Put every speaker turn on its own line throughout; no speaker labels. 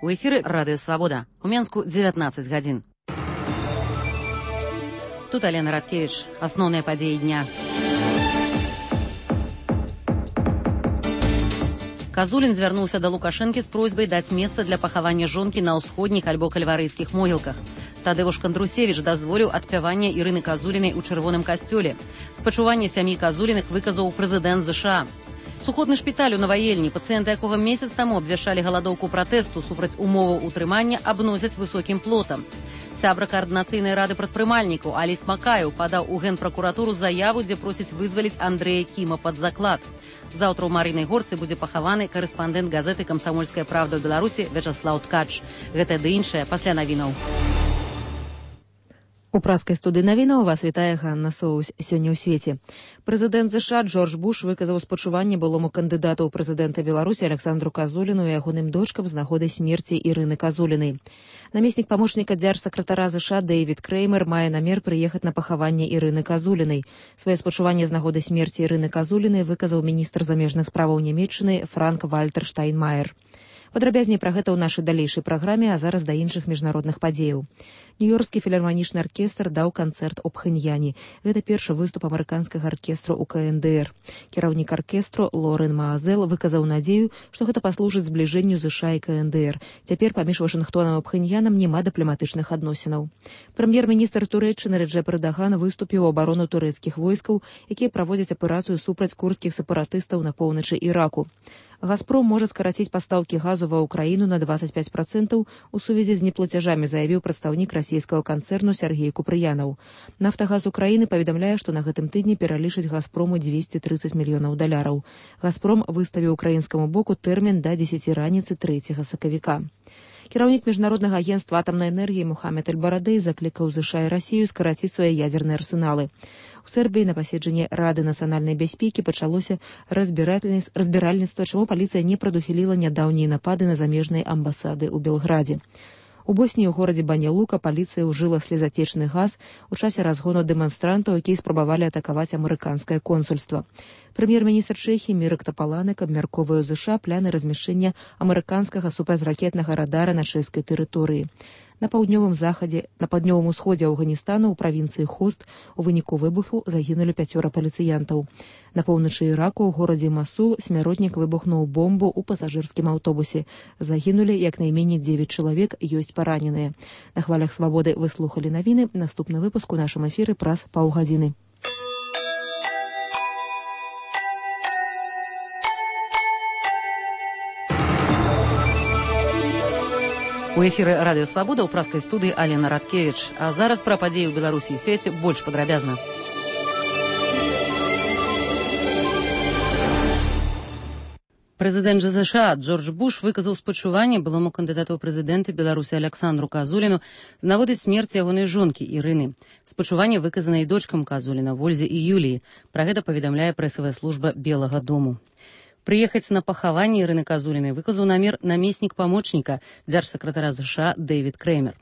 У эфіры Радыё Свабода. У Менску 19 гадзін. Тут Алена Радкевіч. Асноўныя падзеі дня. Казулін звярнуўся да Лукашэнкі з просьбай даць месца для пахавання жонкі на ўсходніх альбо кальварыйскіх могілках. Тадеуш Кандрусевіч дазволіў адпяванне Ірыны Казулінай у чырвоным касцёле. Спачуванне сям'і Казуліных выказаў прэзідэнт ЗША. Сухотны шпіталь у Наваельні, пацыенты якога месяц таму абвяшчалі галадоўку пратэсту супраць умоваў утрымання, абносяць высокім плотам. Сябра каардынацыйнай рады прадпрымальнікаў Аліс Макаеў падаў у Генпракуратуру заяву, дзе просіць вызваліць Андрэя Кіма пад заклад. Заўтра ў Марыйнай Горцы будзе пахаваны карэспандэнт газеты «Камсамольская правда» ў Беларусі Вячаслаў Ткач. Гэта ды іншае пасля навінаў.
У праскай студыі навінаў вас вітае Ганна Соўсь. Сёння ў свеце. Прэзідэнт ЗША Джордж Буш выказаў спачуванне былому кандыдату ў прэзідэнта Беларусі Александру Казуліну і ягоным дочкам з нагоды смерці Ірыны Казулінай. Намеснік памочніка дзяржсакратара ЗША Дэвід Креймер мае намер прыехаць на пахаванне Ірыны Казулінай. Сваё спачуванне з нагоды смерці Ірыны Казулінай выказаў міністр замежных справаў Нямецчыны Франк Вальтер Штайнмаер. Падрабязней пра гэта ў нашай далейшай праграме, а зараз да іншых міжнародных падзеяў. Нью-Йоркскі філарманічны аркестр даў канцэрт у Пхэньяне. Гэта першы выступ амерыканскага аркестру ў КНДР. Кіраўнік аркестру Лорен Маазел выказаў надзею, што гэта паслужыць збліжэнню ЗША і КНДР. Цяпер паміж Вашынгтонам і Пхэньянам няма дыпламатычных адносінаў. Прэм'ер-міністр Турэччыны Реджеп Эрдаган выступіў у абарону турэцкіх войскаў, якія праводзяць аперацыю супраць курдскіх сепаратыстаў на поўначы Іраку. «Газпром» можа скараціць пастаўкі газу ва ўкраіну на 25% у сувязі з неплацяжамі, заявіў прадстаўнік расійскага канцэрну Сергей Купрыянаў. «Нафтагаз Украіны» паведамляе, што на гэтым тыдні пералічыць «Газпрому» 230 мільёнаў даляраў. «Газпром» выставіў украінскаму боку тэрмін да 10 раніцы 3 сакавіка. Кіраўнік міжнароднага агенцтва атамнай энергіі Мухаммед Эль-Барадэй заклікаў ЗША і Расію скараціць свае ядзерныя арсеналы. У Сербіі на паседжанні Рады нацыянальнай бяспекі пачалося разбіральніцтва, чаму паліцыя не прадухіліла нядаўнія напады на замежныя амбасады ў Белградзе. У Босніі ў горадзе Баня-Лука паліцыя ўжыла слезатечны газ у часе разгону дэманстрантаў, якія спрабавалі атакаваць амерыканскае консульства. Прэм'ер-міністр Чэхіі Мірак Тапаланек абмяркоўвае ў ЗША пляны размяшчэння амерыканскага супрацьракетнага радара на чэшскай тэрыторыі. На паўднёвым усходзе Афганістану ў правінцыі Хост у выніку выбуху загінулі 5 паліцыянтаў. На поўначы Іраку ў горадзе Масул смяротнік выбухнуў бомбу ў пасажырскім аўтобусе. Загінулі як найменей 9 чалавек, ёсць параненыя. На хвалях Свабоды вы слухалі навіны. Наступны выпуск у нашым эфіры праз паўгадзіны.
У эфіры Радыё Свабода ў праскай студыі Алена Радкевіч. А зараз пра падзеі ў Беларусі і свеце больш падрабязна. Прэзідэнт ЗША Джордж Буш выказаў спачуванне былому кандыдату ў прэзідэнты Беларусі Александру Казуліну з нагоды смерці ягонай жонкі Ірыны. Спачуванне выказана і дочкам Казуліна Вользе і Юліі. Пра гэта паведамляе прэсавая служба Белага дому. Прыехаць на пахаванне Ірыны Казулінай выказаў намер намеснік памочніка дзяржсакратара ЗША Дэвід Креймер.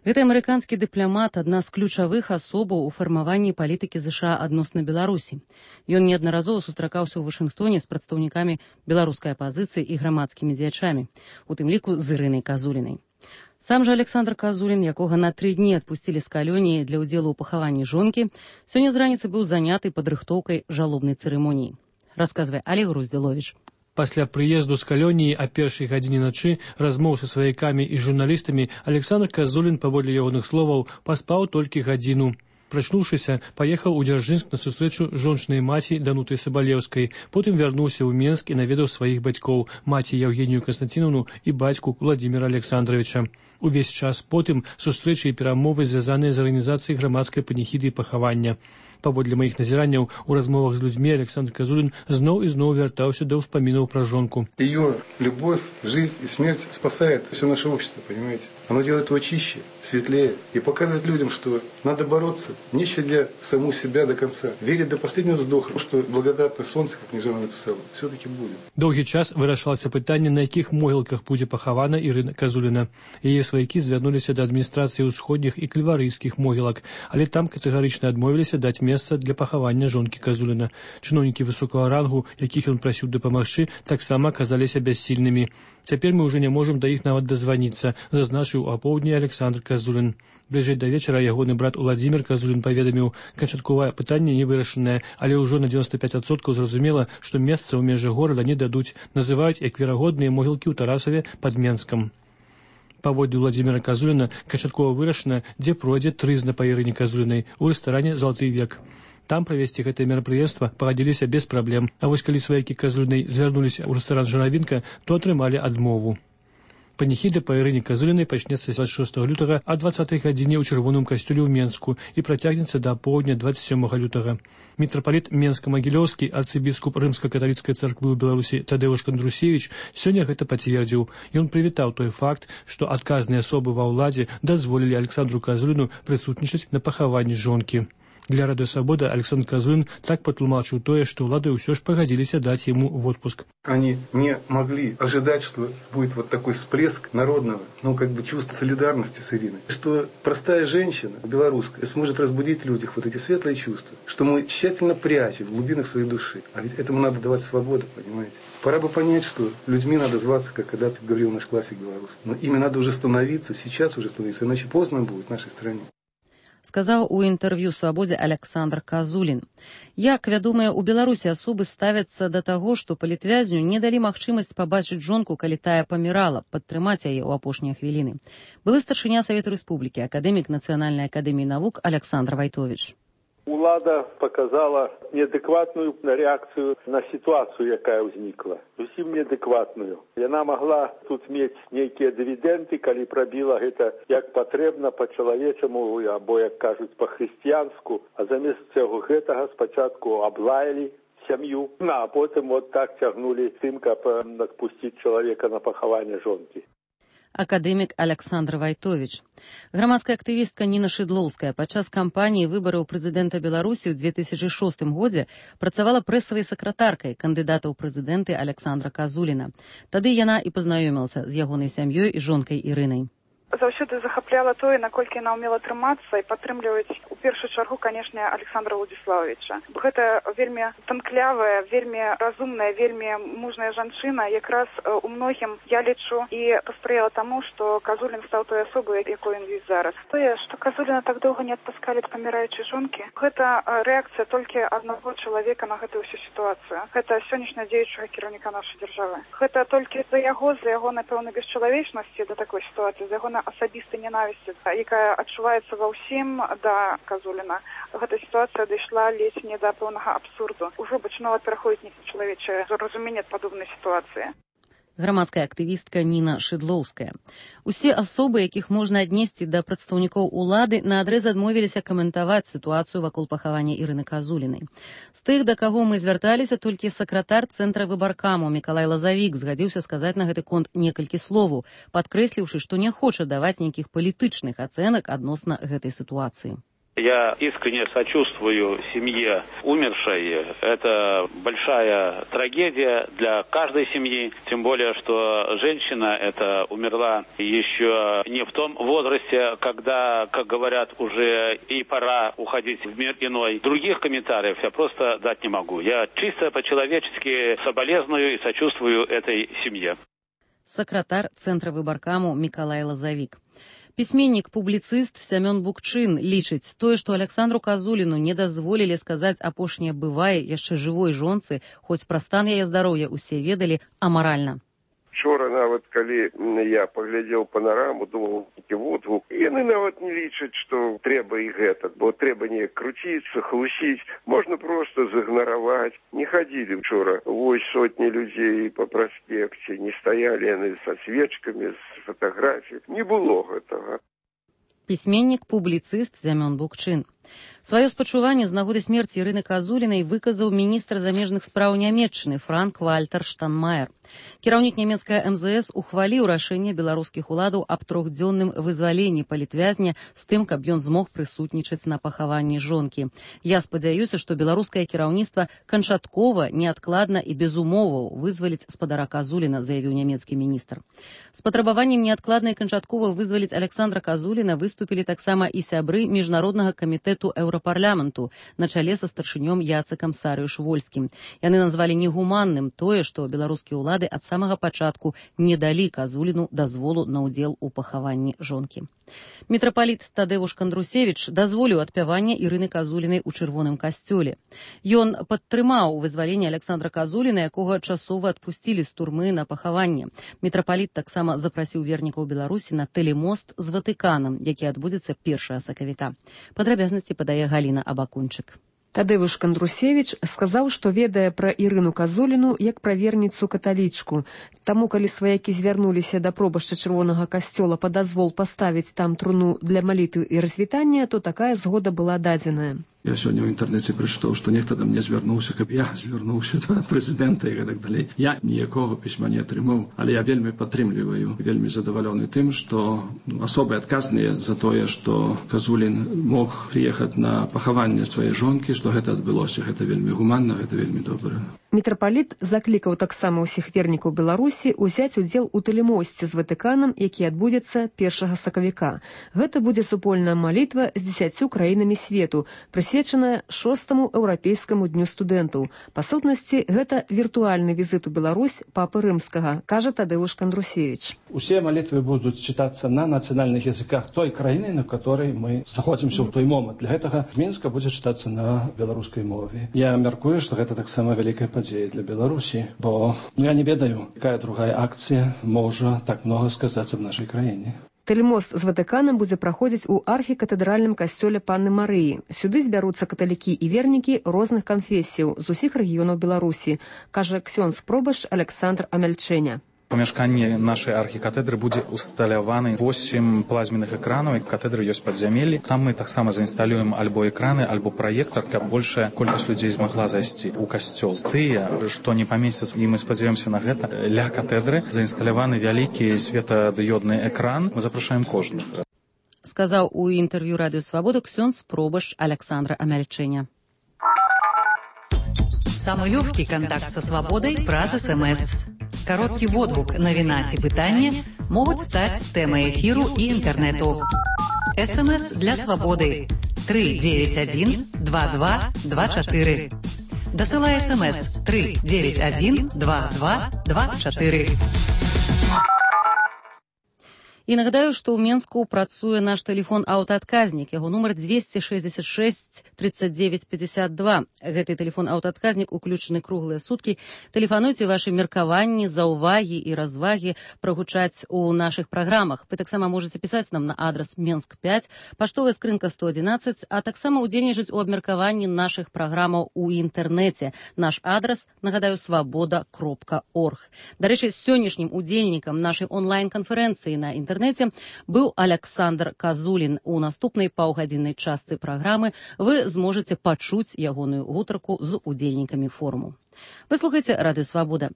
Гэты амерыканскі дыпламат адна з ключавых асобаў у фармаванні палітыкі ЗША адносна Беларусі. Ён неаднаразова сустракаўся ў Вашынгтоне з прадстаўнікамі беларускай апазіцыі і грамадскімі дзеячамі, у тым ліку з Ірынай Казулінай. Сам жа Александр Казулін, якога на 3 дні адпусцілі з калоніі для ўдзелу ў пахаванні жонкі, сёння з раніцы быў заняты падрыхтоўкай жалобнай цырымоніі. Расказвае Олег Груздзіловіч.
Пасля прыезду з калоніі а першай гадзіне начы размоў са сваякамі і журналістамі Александр Казулін, паводле ягоных словаў, паспаў толькі гадзіну. Прачнуўшыся, паехаў у Дзяржынск на сустрэчу жончынай маці Данутай Сабалеўскай. Потым вярнуўся ў Менск і наведаў сваіх бацькоў, маці Евгенію Константиновну і бацьку Владимира Александровича. Увесь час потым сустрэчы і перамовы звязаныя з арганізацыяй грамадскай паніхіды і пахавання. Паводле маіх назіранняў у размовах з людзьмі Александр Казулін зноў і зноў вяртаўся да ўспамінаў пра жонку.
Ее любовь, жизнь и смерть спасает все наше общество, понимаете? Оно делает его чище, светлее и показывает людям, что надо бороться, не щадя саму себя до конца, верить до последнего вздоха, что благодатное солнце, как Княжана написала, все-таки будет.
Доўгі час вырашалася пытанне, на якіх могілках будзе пахавана Ірына Казуліна. Яе сваякі звярнуліся да адміністрацыі ўсходніх і кальварыйскіх могілак, але там катэгарычна адмовіліся даць месца месца для пахавання жонкі Казуліна. Чыноўнікі высокага рангу, якіх ён прасіў дапамагчы, таксама аказаліся бяссільнымі. Цяпер мы ўжо не можам да іх нават дазваніцца, зазначыў у апоўдні Александр Казулін. Бліжэй да вечара ягоны брат Уладзімір Казулін паведаміў, канчатковае пытанне не вырашанае, але ўжо на 95% зразумела, што месца ў межах горада не дадуць, называюць як верагодныя могілкі ў Тарасаве пад Менскам. Паводле Уладзіміра Казуліна канчаткова вырашана, дзе пройдзе трызна па Ірыне Казулінай у рэстаране «Залаты век». Там правесці гэтае мерапрыемства пагадзіліся без праблем, а вось калі сваякі Казулінай звярнуліся ў рэстаран «Журавінка», то атрымалі адмову. Паніхіда па Ірыне Казулінай пачнецца 26 лютага а 20 гадзіне ў чырвоным касцёле ў Менску і працягнецца да апоўдня 27 лютага. Мітрапаліт Менска-Магілёўскі, арцыбіскуп рымска-каталіцкай царквы ў Беларусі Тадеуш Кандрусевіч сёння гэта пацвердзіў. Ён прывітаў той факт, што адказныя асобы ва ўладзе дазволілі Александру Казуліну прысутнічаць на пахаванні жонкі. Для Радио Свобода Александр Казулин так патлумачыў тое, што ўлады ўсё ж пагадзіліся даць ему в отпуск.
Они не могли ожидать, что будет вот такой всплеск народного, чувства солидарности с Ириной. Что простая женщина, белорусская, сможет разбудить в людях вот эти светлые чувства, что мы тщательно прячем в глубинах своей души. А ведь этому надо давать свободу, понимаете? Пора бы понять, что людьми надо зваться, как когда-то говорил наш классик белорусский. Но ими надо уже становиться, сейчас уже становиться, иначе поздно будет в нашей стране.
Сказаў у інтэрв'ю «Свабодзе» Александр Казулін. Як вядомыя ў Беларусі асобы ставяцца да таго, што палітвязню не далі магчымасць пабачыць жонку, калі тая памірала, падтрымаць яе ў апошнія хвіліны. Былы старшыня Савету Рэспублікі, акадэмік Нацыянальнай акадэміі навук Александр Вайтович.
Улада показала неадекватную реакцию на ситуацию, якая ўзнікла. Зусім неадекватную. Яна могла тут мець нейкія дывідэнды, калі прабіла гэта як патрэбна па-чалавечаму, або, як кажуць, па-хрысціянску, а замест цього гэтага спачатку аблаялі сям'ю, а потым вот так цягнулі тым, каб адпусціць чалавека на пахаванне жонкі.
Акадэмік Александр Вайтович. Грамадская актывістка Ніна Шыдлоўская падчас кампаніі выбараў прэзідэнта Беларусі ў 2006 годзе працавала прэсавай сакратаркай кандыдата ў прэзідэнты Александра Казуліна. Тады яна і пазнаёмілася з ягонай сям'ёй і жонкай Ірынай.
Заўсёды захапляла тое, наколькі яна ўмела трымацца і падтрымліваць у першую чаргу, канешне, Александра Владзіславовича. Гэта вельмі танклявая, вельмі разумная, вельмі мужная жанчына, якраз у многім, я лічу, і паспрыяла таму, што Казулін стаў той асобай, якой ён ёсць зараз. Тое, што Казуліна так доўга не адпускалі ад паміраючай жонкі, гэта рэакцыя толькі аднаго чалавека на гэтую ўсю сітуацыю. Гэта сённяшняга дзеючага кіраўніка нашай дзяржавы. Гэта толькі за яго, напэўна, бесчалавечнасці да такой сітуацыі, за яго асабістай ненавісці, якая адчуваецца ва ўсім да Казуліна. Гэта сітуацыя дайшла ледзь не да пэўнага абсурду. Ужо пачынала пераходзіць нечалавечае разуменне ад падобнай сітуацыі.
Грамадская актывістка Ніна Шыдлоўская. Усе асобы, якіх можна аднесці да прадстаўнікоў улады, наадрэз адмовіліся каментаваць сітуацыю вакол пахавання Ірыны Казулінай. З тых, да каго мы звярталіся, толькі сакратар цэнтра выбаркаму Мікалай Лазавік згадзіўся сказаць на гэты конт некалькі словаў, падкрэсліўшы, што не хоча даваць нейкіх палітычных ацэнак адносна гэтай ситуации.
Я искренне сочувствую семье умершей. Это большая трагедия для каждой семьи. Тем более, что женщина эта умерла еще не в том возрасте, когда, как говорят, уже и пора уходить в мир иной. Других комментариев я просто дать не могу. Я чисто по-человечески соболезную и сочувствую этой семье.
Сакратар Центра выбаркаму Мікалай Лазавік. Пісьменнік-публіцыст Сямён Букчын лічыць, тое, што Александру Казуліну не дазволілі сказаць апошняе бывае яшчэ жывой жонцы, хоць пра стан яе здароўя усе ведалі, амаральна.
Вчора нават, калі я паглядзеў панараму, думаў, які водгук, яны нават не лічаць, што трэба і гэта, бо трэба неяк круціцца, хлусіць, можна проста зігнараваць. Не хадзілі вчора, вось сотні людзей па праспекце, не стаялі яны са свечкамі, з фатаграфій, не было гэтага.
Пісьменнік-публіцыст Сямён Букчын. Сваё спачуванне з нагоды смерці Ірыны Казулінай выказаў міністр замежных спраў Нямецчыны Франк-Вальтер Штанмаер. Кіраўнік нямецкая МЗС ухваліў рашэнне беларускіх уладаў аб трохдзённым вызваленні палітвязня з тым, каб ён змог прысутнічаць на пахаванні жонкі. Я спадзяюся, што беларускае кіраўніцтва канчаткова, неадкладна і без умоваў вызваліць спадара Казуліна, заявіў нямецкі міністр. З патрабаваннем неадкладна і канчаткова вызваліць Александра Казуліна выступілі таксама і сябры міжнароднага камітэта камітэту еўрапарламенту на чале са старшынём Яцыкам Сарыюш-Вольскім. Яны назвалі негуманным тое, што беларускія ўлады ад самага пачатку не далі Казуліну дазволу на ўдзел у пахаванні жонкі. Мітрапаліт Тадэвуш Кандрусевіч дазволіў адпяванне Ірыны Казулінай у чырвоным касцёле. Ён падтрымаў вызваленне Александра Казуліна, якога часова адпусцілі з турмы на пахаванне. Мітрапаліт таксама запрасіў вернікаў Беларусі на тэлемост з Ватыканам, які адбудзецца 1 сакавіка. Падрабязнасці падае Галіна Абакунчык.
Тадэвуш Кандрусевіч сказаў, што ведае пра Ірыну Казуліну як пра верніцу каталічку. Таму, калі сваякі звярнуліся да пробашча чырвонага касцёла па дазвол паставіць там труну для малітвы і развітання, то такая згода была дадзеная.
Я сёння ў інтэрнэце прачытаў, што нехта да мне звярнуўся, каб я звярнуўся да прэзідэнта і гэтак далей. Я ніякога пісьма не атрымаў, але я вельмі падтрымліваю, вельмі задавалёны тым, што асобы адказныя за тое, што Казулін мог прыехаць на пахаванне сваёй жонкі, што гэта адбылося. Гэта вельмі гуманна, гэта вельмі добра.
Мітрапаліт заклікаў таксама ўсіх вернікаў Беларусі ўзяць удзел у тэлемосце з Ватыканам, які адбудзецца 1 сакавіка. Гэта будзе супольная малітва з 10 краінамі свету, прысвечаная 6-му еўрапейскаму дню студэнтаў. Па сутнасці, гэта віртуальны візіт у Беларусь папы Рымскага, кажа Тадэвуш Кандрусевіч.
Усе малітвы будуць чытацца на нацыянальных языках той краіны, на которой мы знаходзімся ў той момант. Для гэтага Мінска будзе чытацца на беларускай мове. Я мяркую, што гэта таксама вялікая падзея для Беларусі, бо я не ведаю, якая другая акцыя можа так многа сказацца в нашай краіне.
Тэлемост з Ватыканам будзе праходзіць у архікатэдральным касцёле Панны Марыі. Сюды збяруцца каталікі і вернікі розных канфесіяў з усіх рэгіёнаў Беларусі, кажа ксёндз-пробашч Александр Амяльчэня.
У памяшканні нашай архікатэдры будзе усталяваны 8 плазменных экранаў, і катедры ёсць падзямеллі. Там мы таксама заінсталюем альбо экраны, альбо праектар, каб большая колькасць людзей змагла зайсці ў касцёл. Тыя, што не памесцяцца, і мы спадзяёмся на гэта, ля катедры заінсталяваны вялікі светадыёдны экран. Мы запрашаем кожных.
Сказаў у інтэрв'ю Радыё Свабода ксёндз-пробашч Александра Амяльчэня.
Самый легкий контакт со свободой праз СМС. Короткий водгук, навіна ці пытанне могуць стаць тэмай эфіру і інтэрнэту. СМС для свабоды 391 22 24. Дасылай СМС 391 22 24.
І нагадаю, што ў Менску працуе наш тэлефон аўтаадказнік. Яго нумар 266 39 52. Гэты тэлефон аўтаадказнік уключаны круглыя суткі. Тэлефануйце вашы меркаванні, заўвагі і развагі прагучаць у нашых праграмах. Вы таксама можаце пісаць нам на адрас Менск 5, паштовая скрынка 111, а таксама ўдзельнічаць у абмеркаванні нашых праграмаў у інтэрнэце. Наш адрас, нагадаю, свабода.орг. Дарэчы, сённяшнім удзельнікам нашай онлайн-канферэнцыі на інтэрнэце быў Александр Казулін. У наступнай паўгадзіннай частцы праграмы вы зможаце пачуць ягоную гутарку з удзельнікамі форуму. Вы слухаеце Радыё Свабода.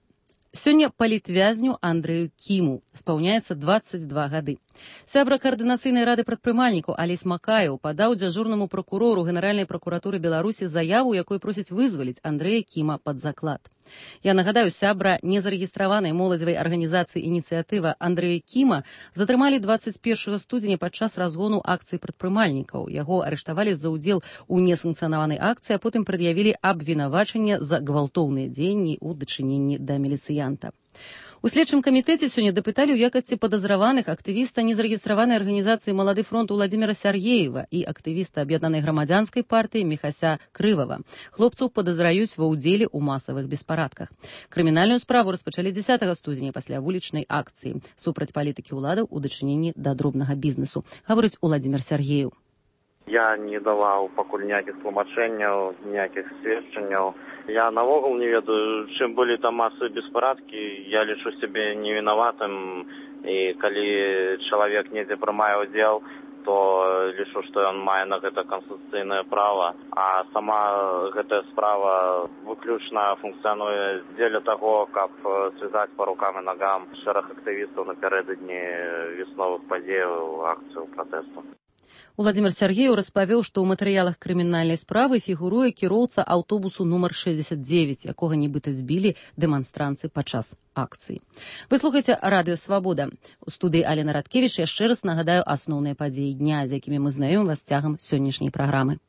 Сёння палітвязню Андрэю Кіму спаўняецца 22 гады. Сябра каардынацыйнай рады прадпрымальнікаў Алесь Макаеў падаў дзяжурнаму пракурору Генеральнай пракуратуры Беларусі заяву, якой просіць вызваліць Андрэя Кіма пад заклад. Я нагадаю, сябра незарэгістраванай моладзевай арганізацыі «Ініцыятыва» Андрэя Кіма затрымалі 21 студзеня падчас разгону акцыі прадпрымальнікаў. Яго арыштавалі за ўдзел у несанкцыянаванай акцыі, а потым прад'явілі абвінавачанне за гвалтоўныя дзеянні ў дачыненні да міліцыянта. У следчым камітэце сёння дапыталі ў якасці падазраваных актывіста незарэгістраванай арганізацыі «Малады фронт» Уладзіміра Сяргеева і актывіста аб'яднанай грамадзянскай партыі Міхася Крывава. Хлопцаў падазраюць ва ўдзеле ў масавых беспарадках. Крымінальную справу распачалі 10 студзеня пасля вулічнай акцыі супраць палітыкі ўладаў у дачыненні да дробнага бізнесу, гаворыць Уладзімір Сяргеев.
Я не даваў пакуль ніякіх тлумачэнняў, ніякіх сведчанняў. Я навогул не ведаю, чым былі там масавыя беспарадкі. Я лічу сябе невінаватым, і калі чалавек недзе прымае ўдзел, то лічу, што ён мае на гэта канстытуцыйнае права. А сама гэтая справа выключна функцыянуе дзеля таго, каб звязаць па рукам і нагам шэраг актывістаў напярэдадні весновых падзеяў, акцыяў пратэсту.
Уладзімір Сяргеев распавёў, што ў матэрыялах крымінальнай справы фігуруе кіроўца аўтобусу нумар 69, якога нібыта збілі дэманстранцы падчас акцыі. Вы слухаеце Радыё Свабода. У студыі Алена Радкевіч яшчэ раз нагадаю асноўныя падзеі дня, з якімі мы знаём вас цягам сённяшняй праграмы.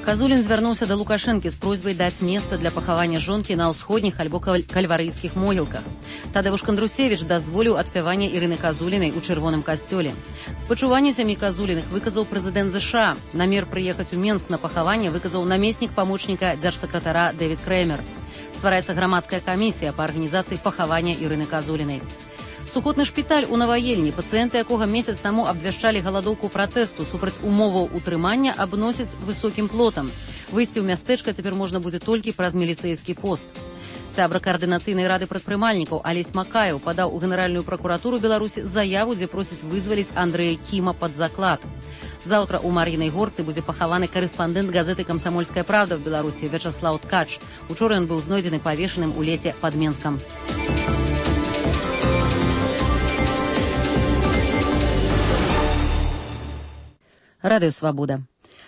Казулін звярнуўся да Лукашэнкі з просьбай даць месца для пахавання жонкі на ўсходніх альбо кальварыйскіх могілках. Тадeusz Кандрусевіч дазволіў адпяванне Ірыны Казулінай у чырвоным касцёле. Спачуванне сям'і Казуліных выказаў прэзідэнт ЗША. Намер прыехаць у Менск на пахаванне выказаў намеснік памочніка дзяржсакратара Дэвід Крэмер. Ствараецца грамадская камісія па арганізацыі пахавання Ірыны Казулінай. Сухотны шпіталь у Наваельні, пацыенты якога месяц таму абвяшчалі галадоўку пратэсту супраць умоваў утрымання, абносяць высокім плотам. Выйсці ў мястэчка цяпер можна будзе толькі праз міліцэйскі пост. Сябра каардынацыйнай рады прадпрымальнікаў Алесь Макаеў падаў у Генеральную пракуратуру Беларусі заяву, дзе просіць вызваліць Андрэя Кіма пад заклад. Заўтра ў Мар'інай Горцы будзе пахаваны карэспандэнт газеты «Камсамольская правда» в Беларусі Вячаслаў Ткач. Учора ён быў знойдзены павешаным у лесе пад Менскам. Радыё Свабода.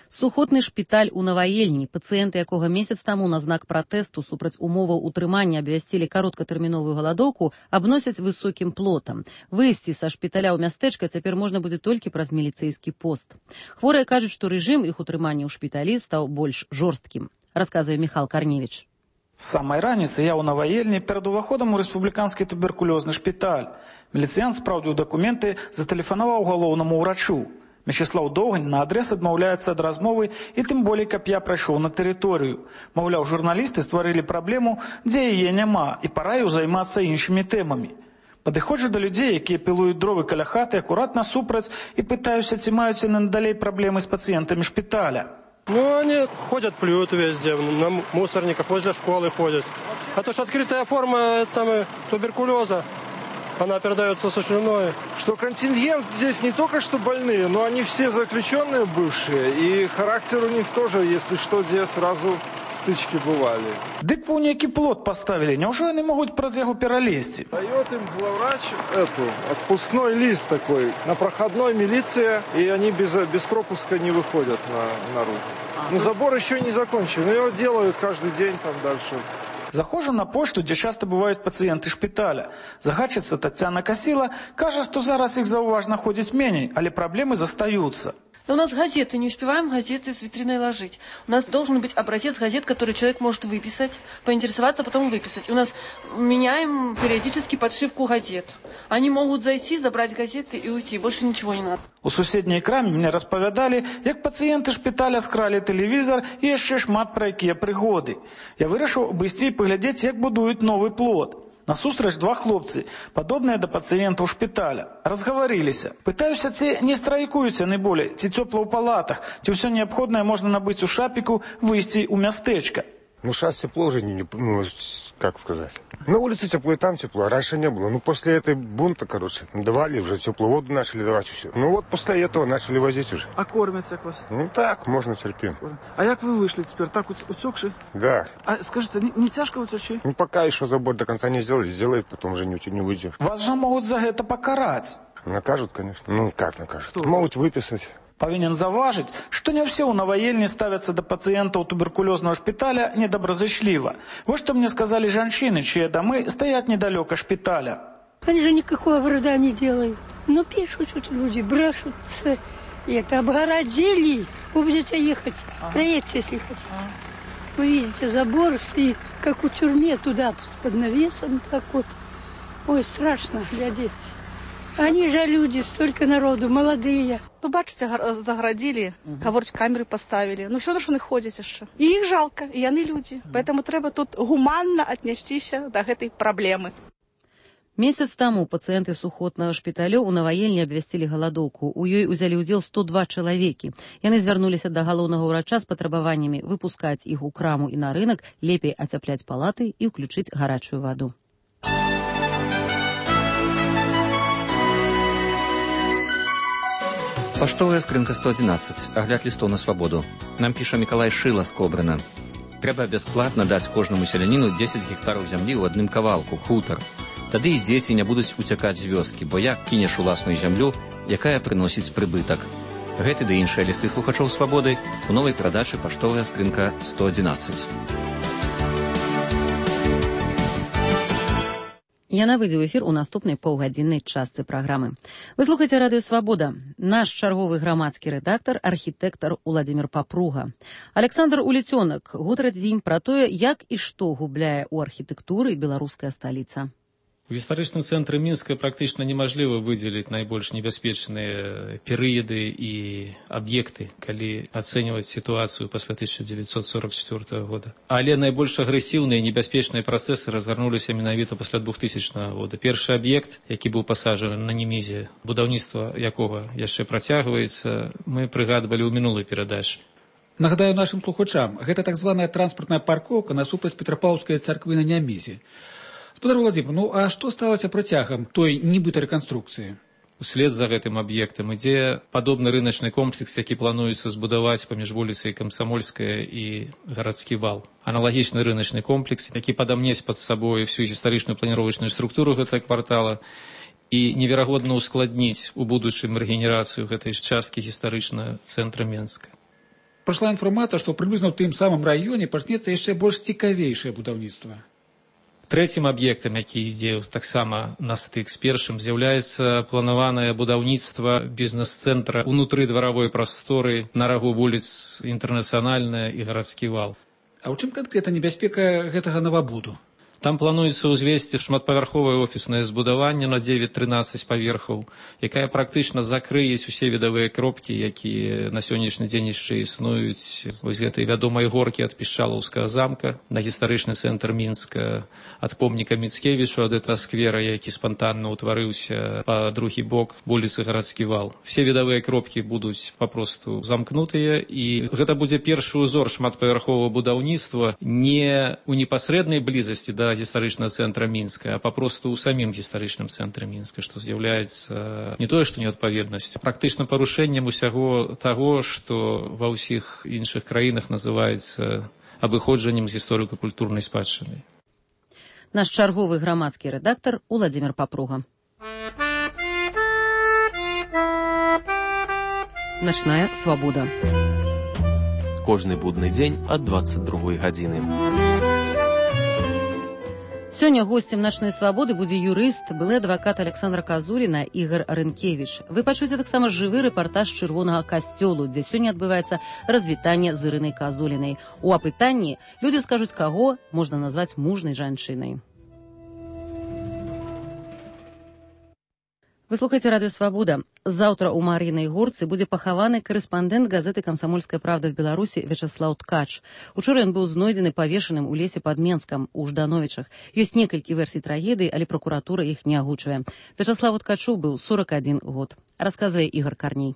Сухотны шпіталь у Наваельні, пацыенты якога месяц таму на знак пратэсту супраць умоваў утрымання абвясцілі кароткатэрміновую галадоўку, абносяць высокім плотам. Выйсці са шпіталя ў мястэчка цяпер можна будзе толькі праз міліцэйскі пост. Хворыя кажуць, што рэжым іх утрымання ў шпіталі стаў больш жорсткім. Расказвае Міхал Карневіч.
З самай раніцы я ў Наваельні перад уваходам у рэспубліканскі туберкулёзны шпіталь. Міліцыянт спраўдзіў дакументы, затэлефанаваў галоўнаму ўрачу. Мячеслаў Доўгань на адрес адмаўляецца ад размовы і тым болей, каб я прайшоў на тэрыторыю. Маўляў, журналісты стварылі праблему, дзе яе няма, і параіў займацца іншымі тэмамі. Падыходжу да людзей, якія пілуюць дровы каля хаты, акурат насупраць, і пытаюся, ці маюць яны надалей праблемы з пацыентамі шпіталя.
Ну, они ходят, плюют везде, на мусорниках, возле школы ходят. А то, что открытая форма туберкулеза, она передается со слюной.
Что контингент здесь не только что больные, но они все заключенные бывшие. И характер у них тоже, если что, здесь сразу стычки бывали.
Дык вы некий плот поставили, неужели они могут праз яго пералезть?
Дает им главврач отпускной лист такой на проходной милиции, и они без пропуска не выходят наружу. Но забор еще не закончен, но его делают каждый день там дальше.
Захожу на пошту, дзе часта бываюць пацыенты шпіталя. Загадчыца Тацяна Касіла кажа, што зараз іх заўважна ходзіць меней, але праблемы застаюцца.
У нас газеты, не успеваем газеты с витриной ложить. У нас должен быть образец газет, который человек может выписать, поинтересоваться, потом выписать. У нас меняем периодически подшивку газет. Они могут зайти, забрать газеты и уйти. Больше ничего не надо.
У суседняй краме мне распавядалі, як пацыенты шпіталя скралі тэлевізор і яшчэ шмат пра якія прыгоды. Я вырашыў абысці і паглядзець, як будуюць новы плот. Насустрач два хлопцы, падобныя да пацыентаў шпіталя. Разгаварыліся. Пытаюся, ці не страйкуюць яны болей, ці цёпла ў палатах, ці ўсё неабходнае можна набыць у шапіку, выйсці ў мястэчка.
Ну, сейчас тепло уже, как сказать. На улице тепло и там тепло, а раньше не было. Ну, после этой бунта, давали уже теплую воду, начали давать все. Ну, вот после этого начали возить уже.
А кормят как вас?
Ну, так, можно терпим.
А как вы вышли теперь? Так утекши?
Да.
А скажите, не тяжко утечь?
Ну, пока еще забор до конца не сделали, сделают, потом уже не выйдешь.
Вас же могут за это покарать.
Накажут, конечно. Ну, как накажут? Что? Могут выписать.
Павінен заўважыць, што не ўсе ў Наваельні ставяцца да пацыентаў туберкулёзнага шпіталя недобразычліва. Вот што мне сказалі жанчыны, чьи домы стоят недалёка шпіталя.
Они же никакого вреда не делают. Но пишут люди, брешутся. И это обгородили. Вы будете ехать, проедьте, если хотите. Вы видите забор, и как у тюрьмы туда под навесом так вот. Ой, страшно глядеть. Они же люди, столько народу, молодые.
Ну, бачите, загородили, говорить, камеры поставили. Ну, все одно, що не ходять ще. І їх жалко, і вони люди. Поэтому треба тут гуманно отнестися до этой проблемы.
Месяц таму пацыенты сухотнага шпіталю ў Наваельні абвясцілі галадоўку. У ёй узялі ўдзел 102 чалавекі. Яны звярнуліся да галоўнага ўрача з патрабаваннямі выпускаць іх у краму і на рынак, лепей ацяпляць палаты і ўключыць гарачую ваду.
Паштовая скрынка 111. Агляд лістоў на свабоду. Нам піша Мікалай Шыла з Кобрына. Трэба бясплатна даць кожнаму селяніну 10 гектараў зямлі ў адным кавалку, хутар. Тады і дзеці не будуць уцякаць з вёскі, бо як кінеш уласную зямлю, якая прыносіць прыбытак. Гэты ды іншыя лісты слухачоў свабоды у новай перадачы «Паштовая скрынка 111».
Яна выйдзе ў эфір у наступнай паўгадзіннай частцы праграмы. Вы слухаеце радыё «Свабода». Наш чарговы грамадскі рэдактар, архітэктар Уладзімір Папруга. Александр Улецёнак гутарыць з ім пра тое, як і што губляе ў архітэктуры беларуская сталіца.
У гістарычным цэнтры Мінска практычна немажліва выдзеліць найбольш небяспечныя перыяды і аб'екты, калі ацэньваць сітуацыю пасля 1944 года. Але найбольш агрэсіўныя і небяспечныя працэсы разгарнуліся менавіта пасля 2000 года. Першы аб'ект, які быў пасажаны на Немізе, будаўніцтва якога яшчэ працягваецца, мы прыгадвалі ў мінулай перадачы.
Нагадаю нашым слухачам, гэта так званая транспартная паркоўка насупраць Петрапаўскай царквы на Немізе. Спадар Владзімир, а што сталася працягам той нібыта рэканструкцыі?
Услед за гэтым аб'ектам ідзе падобны рыначны комплекс, які плануецца збудаваць паміж вуліцай Камсамольская і гарадскі вал. Аналагічны рыначны комплекс, які падамнець пад сабой всю гістарычную планіровачную структуру гэтага квартала і неверагодна ускладніць у будучым рэгенерацыю гэтай часткі гістарычнага цэнтра Менска.
Прайшла інфармацыя, што прыблізна ў тым самым раёне пачнецца яшчэ больш цікавейшае будаўніцтва.
Трэцім аб'ектам, які ідзе таксама на стык з першым, з'яўляецца планаванае будаўніцтва бізнес-цэнтра ўнутры дваравой прасторы на рагу вуліц Інтэрнацыянальная і гарадскі вал.
А ў чым канкрэтна небяспека гэтага новабуду?
Там плануецца ўзвесці шматпавярховае офіснае збудаванне на 9-13 паверхаў, якая практычна закрыюць усе відавыя кропкі, якія на сённяшні дзень яшчэ існуюць. Вось гэтай вядомай горкі ад Пішчалаўскага замка на гістарычны цэнтр Мінска, ад помніка Міцкевічу ад этого сквера, які спантанна ўтварыўся па другі бок вуліцы гарадскі вал. Все відавыя кропкі будуць папросту замкнутыя, і гэта будзе першы ўзор шматпавярховага будаўніцтва не ў непасрэднай блізасці да гістарычнага цэнтра Мінска, а папросту ў самім гістарычным цэнтры Мінска, што з'яўляецца не тое, што неадпаведнасцю, практычна парушэннем усяго таго, што ва ўсіх іншых краінах называецца абыходжаннем з гісторыка-культурнай спадчыны.
Наш чарговы грамадскі рэдактар Уладзімір Папруга. Начная свабода.
Кожны будны дзень ад 22 гадзіны.
Сёння госцем «Начной свабоды» будзе юрыст, былы адвакат Александра Казуліна Ігор Рынкевіч. Вы пачуеце таксама жывы рэпартаж чырвонага касцёлу, дзе сёння адбываецца развітанне з Ірынай Казулінай. У апытанні людзі скажуць, каго можна назваць мужнай жанчынай. Вы слухаеце радыё «Свабода». Заўтра ў Мар'інай горцы будзе пахаваны корэспандэнт газеты «Камсамольская правда» в Беларусі Вячаслаў Ткач. Учора ён быў знойдзены павешаным у лесе пад Менскам у Ждановічах. Ёсць некалькі версій трагедыі, але пракуратура іх не агучвае. Вячаславу Ткачу быў 41 год. Расказвае Ігор Карней.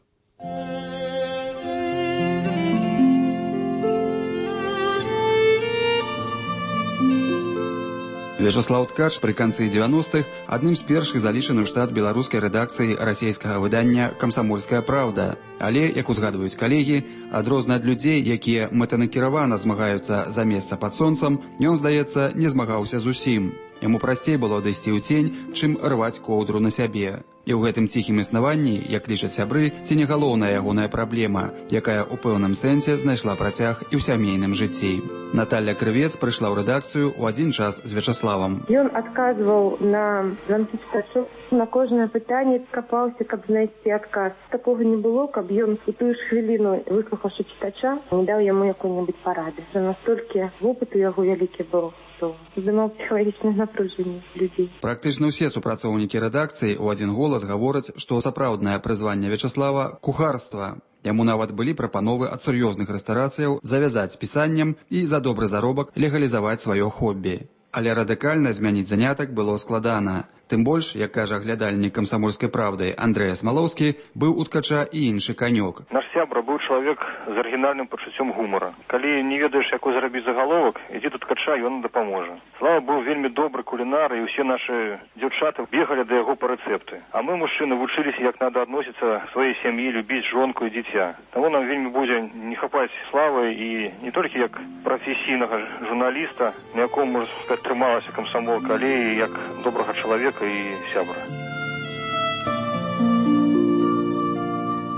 Вячаслаў Ткач пры канцы 90-х адным з першых залічаны ў штат беларускай рэдакцыі расійскага выдання «Камсамольская правда». Але, як узгадваюць калегі, адрозна ад людзей, якія мэтанакіравана змагаюцца за месца пад сонцам, ён, здаецца, не змагаўся зусім. Яму прасцей было адысці ў цень, чым рваць коўдру на сябе. І ў гэтым ціхім існаванні, як лічаць сябры, ці не галоўная ягоная праблема, якая ў пэўным сэнсе знайшла працяг і ў сямейным жыцці. Наталья Крывец прыйшла ў рэдакцыю ў адзін час з Вячаславам.
Ён адказваў на званкі чытачоў, на кожнае пытанне капаўся, каб знайсці адказ. Такога не было, каб ён у тую ж хвіліну, выслухаўшы чытача, не даў яму якой-небудзь парады. Настолькі вопыт у яго вялікі быў, што здымаў псіхалагічнае напружанне людзей.
Практычна ўсе супрацоўнікі рэдакцыі ў адзін голас гавораць, што сапраўднае прызванне Вячаслава – кухарства. Яму нават былі прапановы ад сур'ёзных рэстарацыяў завязаць з пісаннем і за добры заробак легалізаваць сваё хобі. Але радыкальна змяніць занятак было складана. Тым больш, як кажа глядальнік «Камсамольскай правды» Андрэй Смалоўскі, быў у Ткача і іншы канёк.
Наш сябра быў чалавек з арыгінальным пачуццём гумара. Калі не ведаеш, якой зрабіць загаловак, ідзі да Ткача, ён дапаможа. Слава быў вельмі добры кулінар, і ўсе нашы дзяўчаты бегалі да яго па рэцэпты. А мы, мужчыны, вучыліся, як надо адносіцца сваёй сям'і, любіць жонку і дзіця. Таму нам вельмі будзе не хапаць славы і не толькі як прафесійнага журналіста, на якому, можна сказаць, трымалася камсамолка, але і як добрага чалавека і сябра.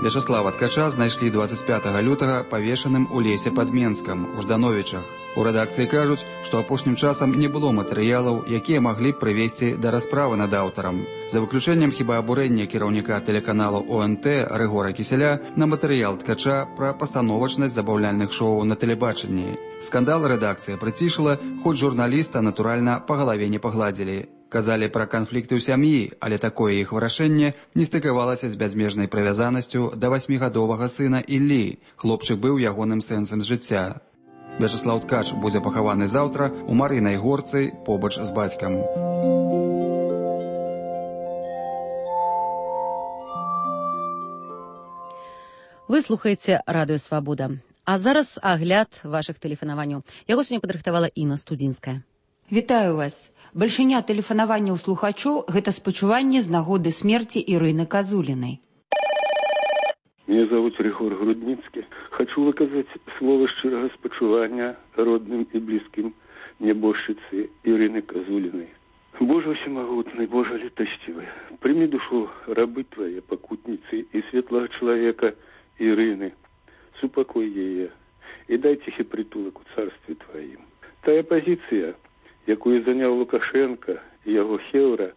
Вячаслава Ткача знайшлі 25 лютага павешаным у лесе пад Менскам, у Ждановічах. У рэдакцыі кажуць, што апошнім часам не было матэрыялаў, якія маглі б прывесці да расправы над аўтарам. За выключэннем хіба абурэння кіраўніка тэлеканалу ОНТ Рыгора Кіселя на матэрыял Ткача пра пастановачнасць забаўляльных шоу на тэлебачанні. Скандал рэдакцыя прыцішыла, хоць журналіста, натуральна, па галаве не пагладзілі. Казалі пра канфлікты ў сям'і, але такое іх вырашэнне не стыкавалася з бязмежнай прывязанасцю да 8гадовага сына Іллі. Хлопчык быў ягоным сэнсам жыцця. Вячаслаў Ткач будзе пахаваны заўтра ў Марынай горцы побач з бацькам.
Вы слухаеце радыё Свабода. А зараз агляд вашых тэлефанаванняў. Яго сёння падрыхтавала Інна Студзінская.
Вітаю вас. Бальшыня тэлефанаванняў слухачоў – гэта спачуванне з нагоды смерти Ирины Козулиной.
Меня зовут Рихор Грудницкий. Хочу выказать слово щирого спочування родным и близким небожчице Ирины Козулиной. Боже всемогутный, Боже летостивый, прими душу рабы Твоей, покутницы и светлого человека Ирины, супокой ее и дай тихий притулок у царстве Твоим. Тая позиция, якую занял Лукашенко и его хеўра,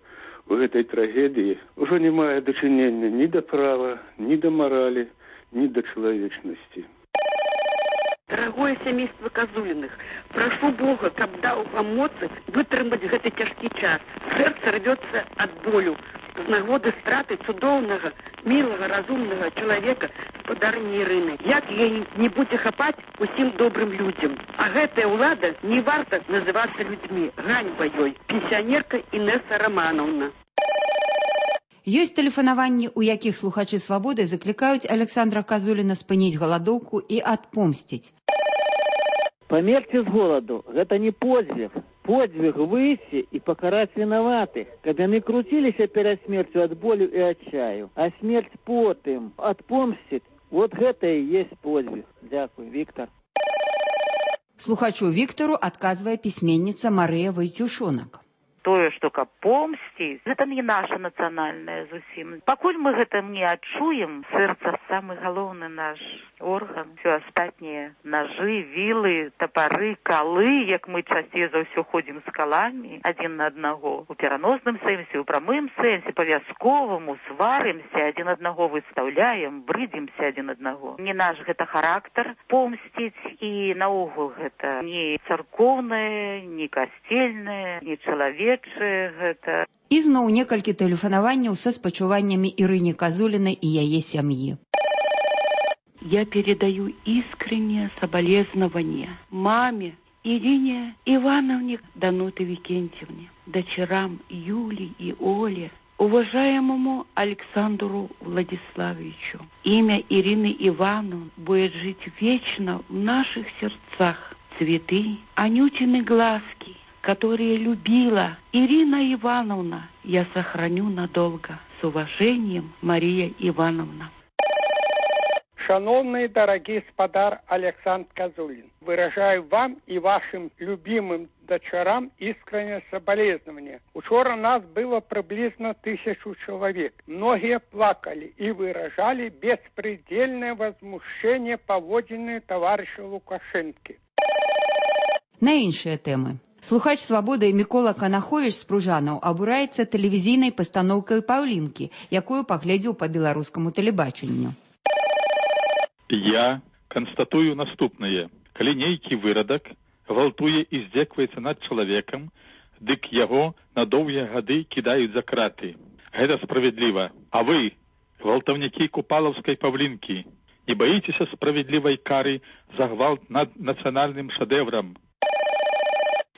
в этой трагедии уже не мае дачынення ни до права, ни до морали, ни до человечности.
Дорогое семейство Козулиных, прошу Бога, каб даў вам моцы вытрымаць гэты цяжкі час. Сэрца рвецца ад болю з нагоды страты цудоўнага, милого, разумного человека, спадарні Ірыны. Як ей не будзе хапаць усім добрым людзям. А гэтая ўлада не варта называцца людзьмі. Ганьба ёй. Пенсионерка Інесса Романовна.
Ёсць тэлефанаванні, у якіх слухачы Свабоды заклікаюць Александра Козуліна спыніць галадоўку і адпомсціць.
Померьте с голоду. Это не подвиг. Подвиг выйти и покарать виноватых. Когда они крутились перед смертью от боли и отчаю. А смерть потым отпомстит. Вот это и есть подвиг. Дякую, Виктор.
Слухачу Виктору отказывая письменница Мария Войтюшонок.
Тое, што каб помсціць, гэта не наша нацыянальная зусім. Пакуль мы гэта не адчуем, сэрца самы галоўны наш орган, все астатнія ножы, вілы, тапары, калы, як мы часцей за ўсё ходзім з каламі адзін на аднаго. У пераносным сэнсе, у прамым сэнсе, па-вясковаму сварымся, адзін аднаго выстаўляем, брыдзімся адзін аднаго. Не наш гэта характар помсціць, і наогул гэта не царкоўнае, не касцельнае, не чалавек.
І зноў некалькі тэлефанаванняў са спачуваннямі Ирыне Козулиной и яе семьи.
Я передаю искреннее соболезнование маме Ирине Ивановне Дануты Викентьевне, дочерам Юле и Оле, уважаемому Александру Владиславовичу. Имя Ирины Ивановны будет жить вечно в наших сердцах. Цветы, Анютины глазки, которые любила Ирина Ивановна, я сохраню надолго. С уважением, Мария Ивановна.
Шановный дорогий спадар Александр Козулин, выражаю вам и вашим любимым дочерам искреннее соболезнование. Учора нас было приблизно 1000 человек. Многие плакали и выражали беспредельное возмущение поводженной товарища Лукашенко.
На іншыя тэмы. Слухач Свабоды Мікола Канахович з Пружанаў абураецца тэлевізійнай пастаноўкай «Паўлінкі», якую паглядзеў па беларускаму тэлебачанню.
Я констатую наступнае. Калі нейкі вырадак гвалтуе і здзекваецца над чалавекам, дык яго на доўгія гады кідаюць за краты. Гэта справядліва. А вы, гвалтаўнікі купалаўскай Паўлінкі, не баіцеся справядлівай кары за гвалт над нацыянальным шэдэўрам?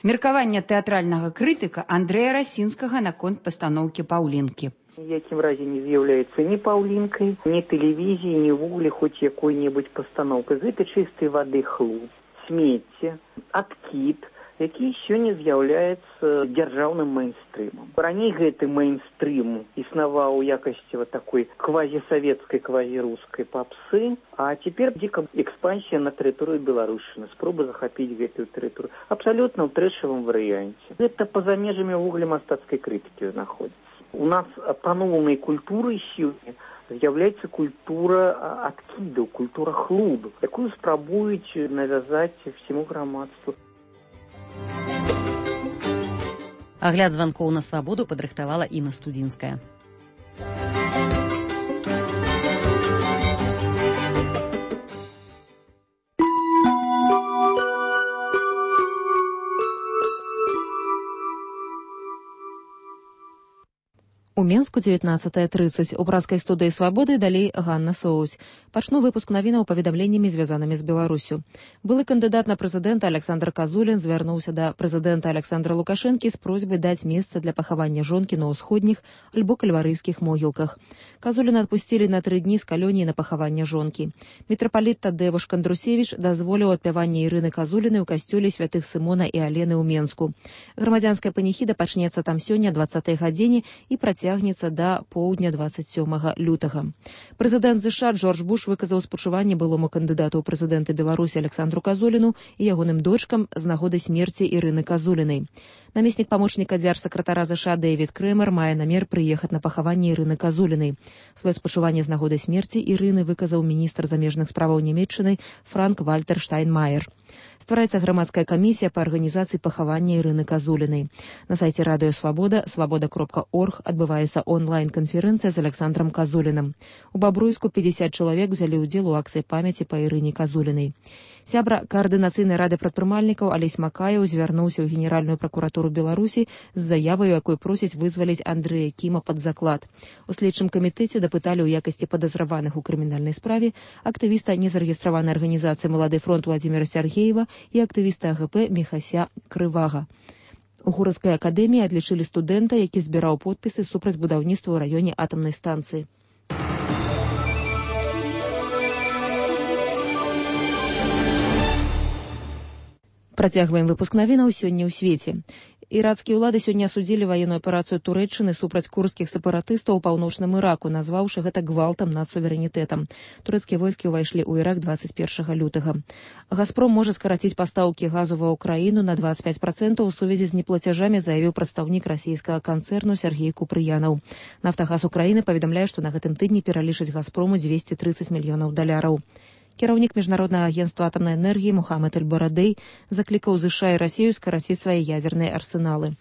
Меркаванне тэатральнага крытыка Андрэя Расінскага наконт пастаноўкі «Паўлінкі».
Ни в якім разе не з'яўляецца ні паўлінкай, ні тэлевізіі, ні ввогуле хоць якой-небудзь пастаноўкай. Гэта чыстай вады хлус, смецце, адкід, які сёння з'яўляецца дзяржаўным мейнстрымам. Раней гэты мейнстрым існаваў у якасці вот такой квазісавецкай, квазірускай папсы, а цяпер дзіка экспансія на тэрыторыю Беларусіны, спроба захапіць гэтую тэрыторыю. Абсалютна ў трэшавым варыянце. Гэта па-за межамі ўвогуле мастацкай крытыкі знаходзіцца. У нас паноўнай культуры сёння з'яўляецца культура адкідаў, культура хлуду, якую спрабуюць навязаць всему грамадству.
Агляд званкоў на свабоду падрыхтавала Інна Студзінская.
У Менску 19:30. У пражскай студыі «Свабоды» далей Ганна Соусь. Пачну выпуск навінаў паведамленнямі, звязанымі з Беларусю. Былы кандыдат на прэзідэнта Александр Казулін звярнуўся да прэзідэнта Александра Лукашэнкі з просьбай даць месца для пахавання жонкі на ўсходніх альбо кальварыйскіх могілках. Казуліна адпусцілі на 3 дні з калоніі на пахаванне жонкі. Мітрапаліт Тадзеуш Кандрусевіч дазволіў адпяванне Ірыны Казуліны ў касцёле святых Сымона і Алены ў Менску. Грамадзянская паніхіда пачнецца там сёння 20-й гадзіне і працягнецца да поўдня 27 лютага. Прэзідэнт ЗША Джордж Буш выказаў спачуванне былому кандыдату ў прэзідэнты Беларусі Александру Казуліну і ягоным дочкам з нагоды смерці Ірыны Казулінай. Намеснік памочніка дзяржсакратара ЗША Дэвід Крэмер мае намер прыехаць на пахаванне Ірыны Казулінай. Сваё спачуванне з нагоды смерці Ірыны выказаў міністр замежных справаў Нямецчыны Франк-Вальтер Штайнмаер. Ствараецца грамадская камісія па арганізацыі пахавання Ірыны Казулінай. На сайце радыё Свабода, свабода.орг, адбываецца онлайн-канферэнцыя з Александром Казулінам. У Бабруйску 50 чалавек узялі ўдзел у акцыі памяці па Ірыне Казулінай. Сябра каардынацыйнай рады прадпрымальнікаў Алесь Макаеў звярнуўся ў Генеральную пракуратуру Беларусі з заявай, якой просіць вызваліць Андрэя Кіма пад заклад. У следчым камітэце дапыталі ў якасці падазраваных у крымінальнай справе актывіста незарэгістраванай арганізацыі «Малады фронт» Владзіміра Сяргеева і актывіста АГП Міхася Крывага. У Гураўскай акадэміі адлічылі студэнта, які збіраў подпісы супраць будаўніцтва ў раёне атамнай станцыі. Працягваем выпуск навінаў сёння ў свеце. Іракскія ўлады сёння асудзілі ваенную аперацыю Турэччыны супраць курдскіх сепаратыстаў у паўночным Іраку, назваўшы гэта гвалтам над суверэнітэтам. Турэцкія войскі ўвайшлі ў Ірак 21 лютага. «Газпром» можа скараціць пастаўкі газу ва ўкраіну на 25% у сувязі з неплацяжамі, заявіў прадстаўнік расійскага канцэрну Сергей Купрыянаў. «Нафтагаз Украіны» паведамляе, што на гэтым тыдні пералічыць «Газпрому» $230 мільёнаў. Кіраўнік міжнароднага агенцтва атамнай энергіі Мухаммед Эль-Барадэй заклікаў ЗША і Расію скараціць свае ядзерныя арсеналы.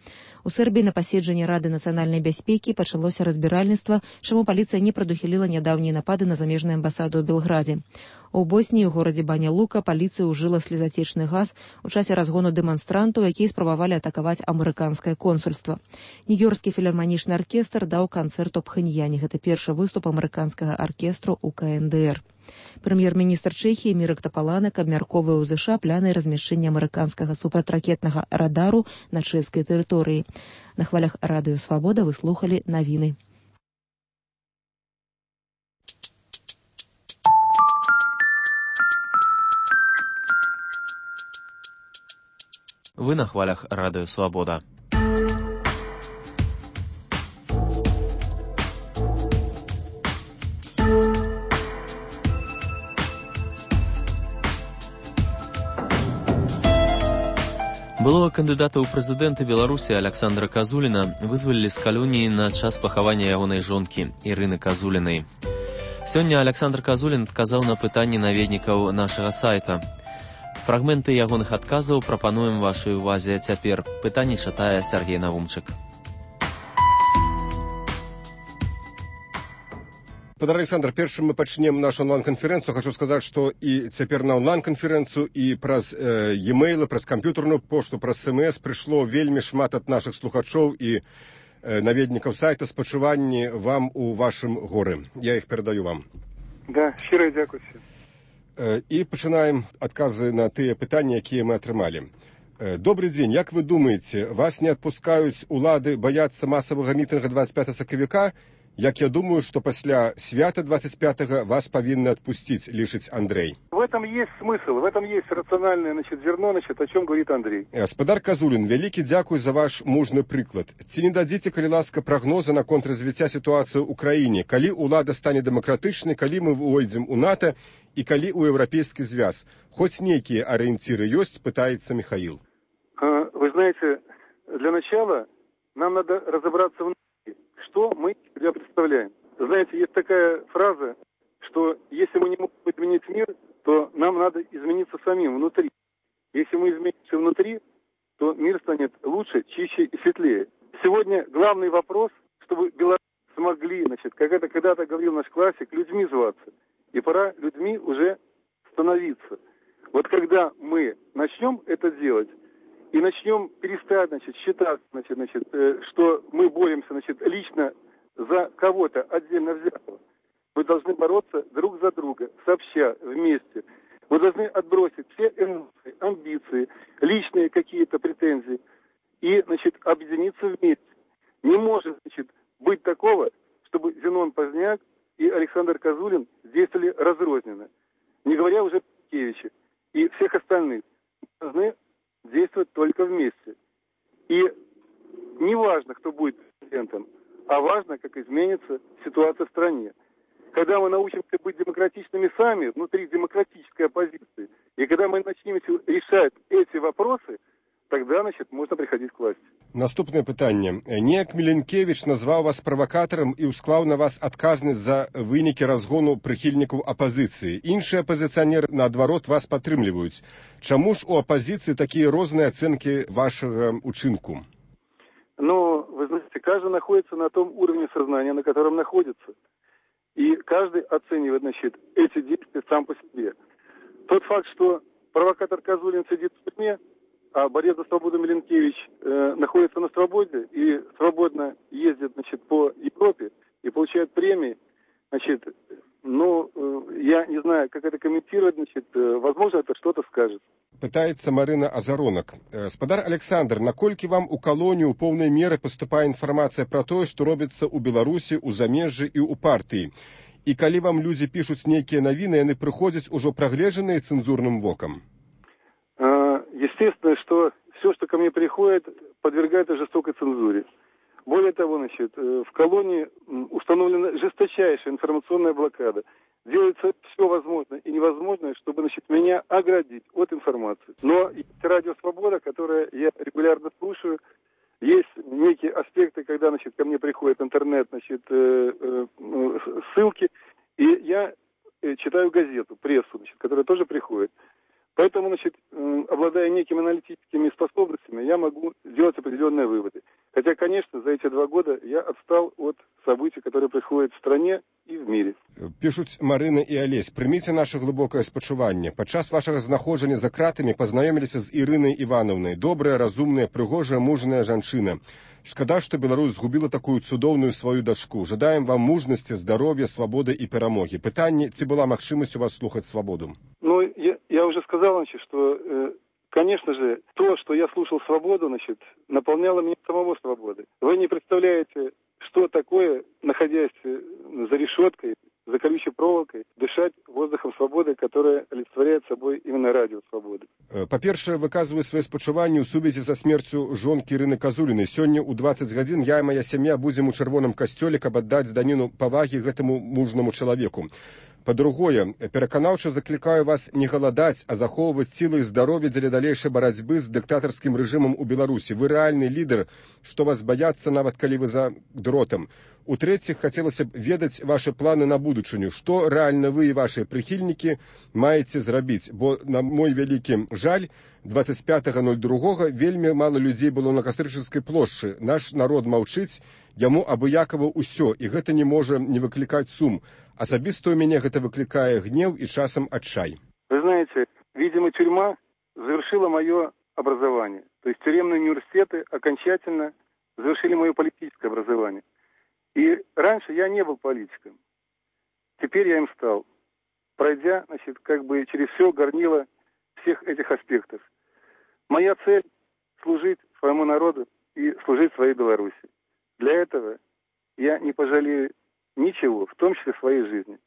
У Сербіі на паседжанні Рады нацыянальнай бяспекі пачалося разбіральніцтва, чаму паліцыя не прадухіліла нядаўнія напады на замежную амбасаду ў Белградзе. У Босніі ў горадзе Баня-Лука паліцыя ўжыла слезацечны газ у часе разгону дэманстрантаў, якія спрабавалі атакаваць амерыканскае консульства. Нью-Йоркскі філарманічны аркестр даў канцэрт у Пхэньяне. Гэта першы выступ амерыканскага аркестру ў КНДР. Прэм'ер-міністр Чэхіі Мірак Тапаланак абмяркоўвае ў ЗША пляны размяшчэння амерыканскага супрацьракетнага радару на чэшскай тэрыторыі. На хвалях радыё Свабода вы слухалі навіны.
Вы на хвалях радыё Свабода. Былого кандыдата ў прэзідэнты Беларусі Александра Казуліна вызвалілі з калоніі на час пахавання ягонай жонкі Ірыны Казулінай. Сёння Александр Казулін адказаў на пытанні наведнікаў нашага сайта. Фрагменты ягоных адказаў прапануем вашай увазе цяпер. Пытанні чытае Сергей Навумчык.
Пан Александр, першым мы пачнем нашу онлайн-канферэнцыю. Хочу сказаць, што і цяпер на онлайн-канферэнцыю і праз e-mail, праз камп'ютарную пошту, праз смс прыйшло вельмі шмат ад нашых слухачоў і наведнікаў сайта спачуванні вам у вашым горы. Я іх перадаю вам.
Да, шчыра дзякуйце.
І пачынаем адказы на тыя пытанні, якія мы атрымалі. Добрый дзень. Як вы думаеце, вас не адпускаюць улады бояцца масавага мітынга 25 сакавіка? Як я думаю, что после свята 25-го вас повинны отпустить, лишить Андрей.
В этом есть смысл, в этом есть рациональное зерно, о чем говорит Андрей.
Гаспадар Казулін, вялікі дзякуй за ваш мужны прыклад. Ці не дадзіце, калі ласка, прагнозы на контрразвіцця сітуацыі ў краіне, калі ўлада стане дэмакратычнай, калі мы ўойдзем у НАТО і калі ў еўрапейскі звяз? Хоць нейкія арыенціры ёсць, пытаецца Михаил.
Вы знаете, для начала нам надо разобраться в что мы себя представляем.
знаете, есть такая фраза, что если мы не можем изменить мир, то нам надо измениться самим внутри. Если мы изменимся внутри, то мир станет лучше, чище и светлее. Сегодня главный вопрос, чтобы белорусы смогли, как это когда-то говорил наш классик, людьми зваться. И пора людьми уже становиться. Вот когда мы начнем это делать и начнем перестать, считать, что мы боремся, лично за кого-то отдельно взятого, мы должны бороться друг за друга, сообща, вместе. Мы должны отбросить все эмоции, амбиции, личные какие-то претензии и, объединиться вместе. Не может, быть такого, чтобы Зенон Поздняк и Александр Козулин действовали разрозненно. Не говоря уже о Петкевиче и всех остальных. Мы должны действовать только вместе. И не важно, кто будет президентом, а важно, как изменится ситуация в стране. Когда мы научимся быть демократичными сами, внутри демократической оппозиции, и когда мы начнем решать эти вопросы, тогда, можна приходить к власти.
Наступне питання. Неяк Міленкевич назвав вас правокатором і усклав на вас адказність за виніки розгону прихильників опозиції. Інші опозиціонери, наадварот, вас підтримують. Чому ж у опозиції такі різні оцінки вашого учинку?
Вы знаете, каждый находится на том уровне сознания, на котором находится. И каждый оценивает, эти действия сам по себе. Тот факт, что провокатор Козулин сидит в тюрьме, а борец за свободу Миленкевич находится на свободе и свободно ездит, по Европе и получает премии, я не знаю, как это комментировать, возможно, это что-то скажет.
Пытается Марина Азаронок. Спадар Александр, наколькі вам у калонію ў поўнай меры паступае інфармацыя пра тое, што робіцца ў Беларусі, у замежжы і ў партыі? І калі вам людзі пішуць нейкія навіны, яны прыходзяць ужо прагледжаныя цэнзурным вокам?
Естественно, что все, что ко мне приходит, подвергается жестокой цензуре. Более того, в колонии установлена жесточайшая информационная блокада. Делается все возможное и невозможное, чтобы, меня оградить от информации. Но есть радио «Свобода», которое я регулярно слушаю. Есть некие аспекты, когда, ко мне приходит интернет, ссылки, и я читаю газету, прессу, которая тоже приходит. Поэтому, обладая некими аналитическими способностями, я могу сделать определенные выводы. Хотя, конечно, за эти 2 года я отстал от событий, которые происходят в стране и в мире.
Пишуць Марына і Алесь, прыміце наше глыбокае спачуванне. Падчас вашага знаходжання за кратамі пазнаёміліся з Ірынай Івановнай. Добрая, разумная, прыгожая, мужная жанчына. Шкада, што Беларусь згубіла такую цудоўную сваю дачку. Жадаем вам мужнасці, здароўя, свабоды і перамогі. Пытанне, ці была магчымасць у вас слухаць свабоду?
Я уже сказал, что, конечно же, то, что я слушал «Свободу», наполняло меня самого свободой. Вы не представляете, что такое, находясь за решеткой, за колючей проволокой, дышать воздухом свободы, которая олицетворяет собой именно радио «Свободы».
Па-першае, выказваю свае спачуванні ў сувязі са смерцю жонкі Ірыны Казулінай. Сёння ў 20 гадзін я і моя сям'я будзем у чырвоным касцёле, каб аддаць даніну павагі гэтаму мужнаму чалавеку. Па-другое, пераканаўча заклікаю вас не галадаць, а захоўваць сілы і здароўе дзеля далейшай барацьбы з дыктатарскім рэжымам у Беларусі. Вы рэальны лідар, што вас баяцца, нават калі вы за дротам. У-трэціх, хацелася б ведаць вашы планы на будучыню. Што рэальна вы і вашыя прыхільнікі маеце зрабіць? Бо, на мой вялікі жаль, 25.02 вельмі мала людзей было на Кастрычніцкай плошчы. Наш народ маўчыць, яму абыякава ўсё, і гэта не можа не выклікаць сум. Особисто у меня это выкликает гнев и часом отчай.
Вы знаете, видимо, тюрьма завершила мое образование. То есть тюремные университеты окончательно завершили мое политическое образование. И раньше я не был политиком. Теперь я им стал, пройдя, через все горнило всех этих аспектов. Моя цель – служить своему народу и служить своей Беларуси. Для этого я не пожалею ничего, в том числе своей жизни.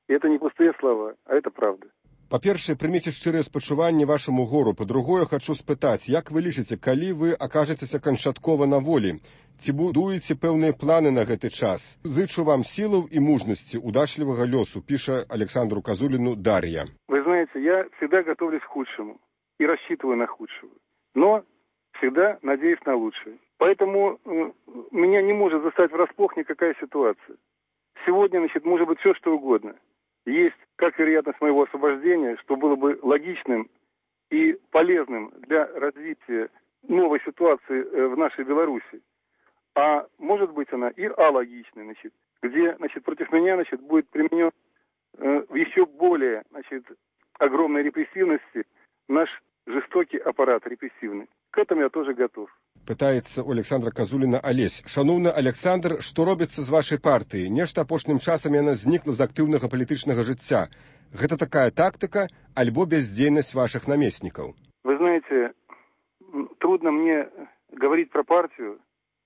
И это не пустые слова, а это правда.
Па-першае, прыміце шчырыя спачуванні вашаму гору. Па-другое, хачу спытаць, як вы лічыце, калі вы акажецеся канчаткова на волі? Ці будуеце пэўныя планы на гэты час? Зычу вам сілаў і мужнасці, удачлівага лёсу, піша Александру Козулину Дарья.
Вы знаете, я всегда готовлюсь к худшему и рассчитываю на худшего. Но всегда надеюсь на лучшее. Поэтому меня не может застать врасплох никакая ситуация. сегодня, значит, может быть все, что угодно. Есть как вероятность моего освобождения, что было бы логичным и полезным для развития новой ситуации в нашей Беларуси. А может быть она и алогичной, значит, где, значит, против меня, значит, будет применен в еще более, значит, огромной репрессивности наш жестокий аппарат репрессивный. К этому я тоже готов.
Пытаецца у Александра Казуліна Алесь. Шановны Александр, што робіцца з вашай партыі? Нешта апошнім часам яна знікла з актыўнага палітычнага жыцця. Гэта такая тактика, альбо бездзейнасць ваших наместников?
Вы знаете, трудно мне говорить про партию,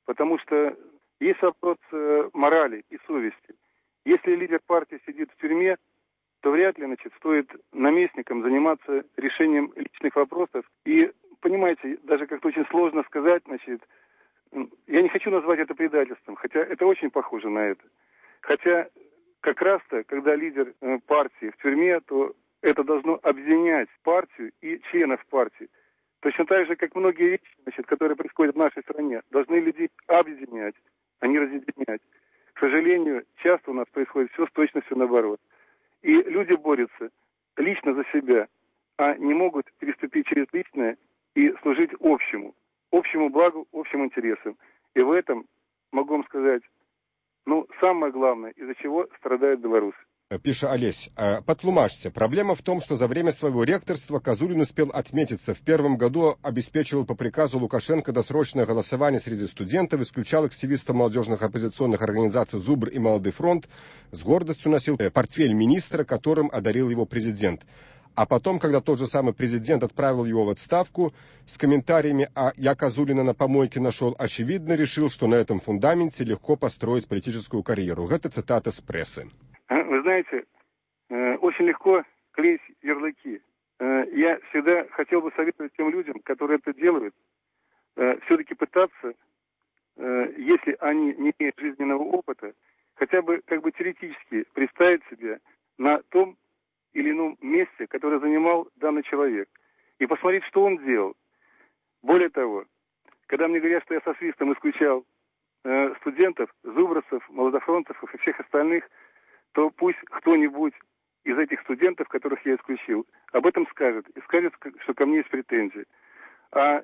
потому что есть вопрос морали и совести. Если лидер партии сидит в тюрьме, то вряд ли, значит, стоит наместникам заниматься решением личных вопросов. И, понимаете, даже как-то очень сложно сказать, значит, я не хочу назвать это предательством, хотя это очень похоже на это. Хотя как раз-то, когда лидер партии в тюрьме, то это должно объединять партию и членов партии. Точно так же, как многие вещи, значит, которые происходят в нашей стране, должны людей объединять, а не разъединять. К сожалению, часто у нас происходит все с точностью наоборот. И люди борются лично за себя, а не могут переступить через личное и служить общему благу, общим интересам. И в этом, могу вам сказать, самое главное, из-за чего страдают белорусы.
Пиша Олесь, потлумажьте. Проблема в том, что за время своего ректорства Казулин успел отметиться. В первом году обеспечивал по приказу Лукашенко досрочное голосование среди студентов, исключал активистов молодежных оппозиционных организаций «Зубр» и «Молодый фронт», с гордостью носил портфель министра, которым одарил его президент. А потом, когда тот же самый президент отправил его в отставку с комментариями «А я Казулина на помойке нашел», очевидно решил, что на этом фундаменте легко построить политическую карьеру. Это цитата с прессы.
Вы знаете, очень легко клеить ярлыки. Я всегда хотел бы советовать тем людям, которые это делают, все-таки пытаться, если они не имеют жизненного опыта, хотя бы теоретически представить себя на том или ином месте, которое занимал данный человек, и посмотреть, что он делал. Более того, когда мне говорят, что я со свистом исключал студентов, зубрцев, молодофронтов и всех остальных, то пусть кто-нибудь из этих студентов, которых я исключил, об этом скажет. И скажет, что ко мне есть претензии. А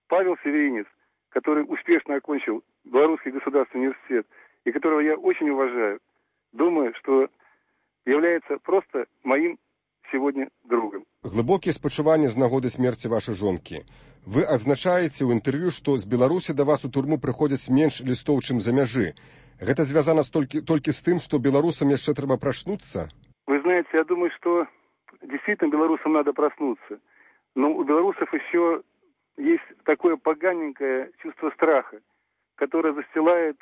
Павел Северинец, который успешно окончил Белорусский государственный университет, и которого я очень уважаю, думаю, что является просто моим сегодня другом.
Глибокі спачуванні з нагоди смерці вашай жонкі. Вы адзначаеце ў інтэрв'ю, што з Беларусі да вас у турму прыходзяць менш лістоў, чым за мяжы. Это связано только с тем, что белорусам еще треба проснуться?
Вы знаете, я думаю, что действительно белорусам надо проснуться. Но у белорусов еще есть такое поганенькое чувство страха, которое застилает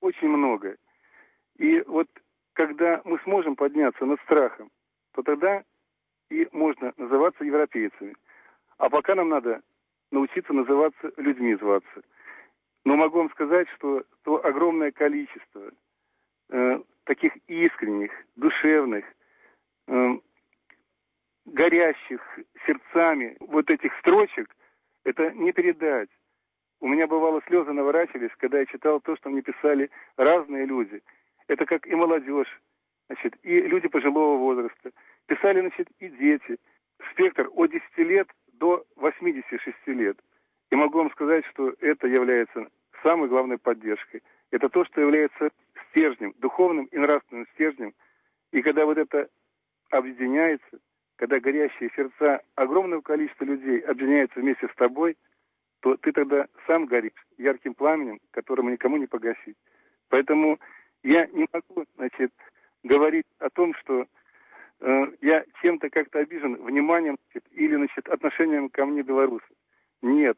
очень много. И вот когда мы сможем подняться над страхом, то тогда и можно называться европейцами. А пока нам надо научиться называться людьми зваться. Но могу вам сказать, что то огромное количество таких искренних, душевных, горящих сердцами вот этих строчек, это не передать. У меня бывало слезы наворачивались, когда я читал то, что мне писали разные люди. Это как и молодежь, значит, и люди пожилого возраста. Писали, значит, и дети. Спектр от 10 лет до 86 лет. И могу вам сказать, что это является самой главной поддержкой. Это то, что является стержнем, духовным и нравственным стержнем. И когда вот это объединяется, когда горящие сердца огромного количества людей объединяются вместе с тобой, то ты тогда сам горишь ярким пламенем, которому никому не погасить. Поэтому я не могу, значит, говорить о том, что я чем-то как-то обижен вниманием, значит, или, значит, отношением ко мне белорусы. Нет.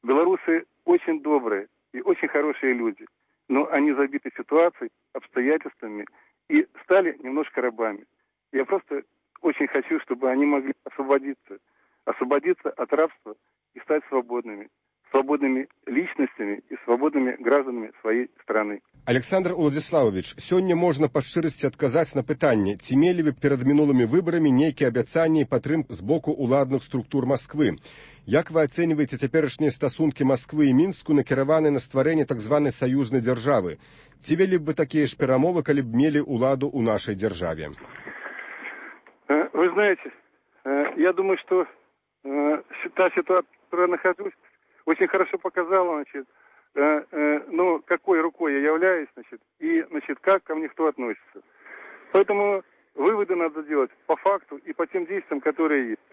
Белорусы очень добрые и очень хорошие люди, но они забиты ситуацией, обстоятельствами и стали немножко рабами. Я просто очень хочу, чтобы они могли освободиться от рабства и стать свободными свободными личностями и свободными гражданами своей страны.
Александр Уладзіславович, сёння можна па шчырасці адказаць на пытанне, ці мелі вы перад мінулымі выбарамі нейкія абяцанні і падтрымку з боку ўладных структур Масквы? Як вы ацэньваеце цяперашнія стасункі Масквы і Мінску, накіраваныя на стварэнне так званай саюзнай дзяржавы? Ці вялі б вы такія ж перамовы, калі б мелі ўладу ў нашай дзяржаве?
Вы знаете, я думаю, что та ситуация, в которой я нахожусь, очень хорошо показала, значит, ну, какой рукой я являюсь, значит, и, значит, как ко мне кто относится. Поэтому выводы надо делать по факту и по тем действиям, которые есть.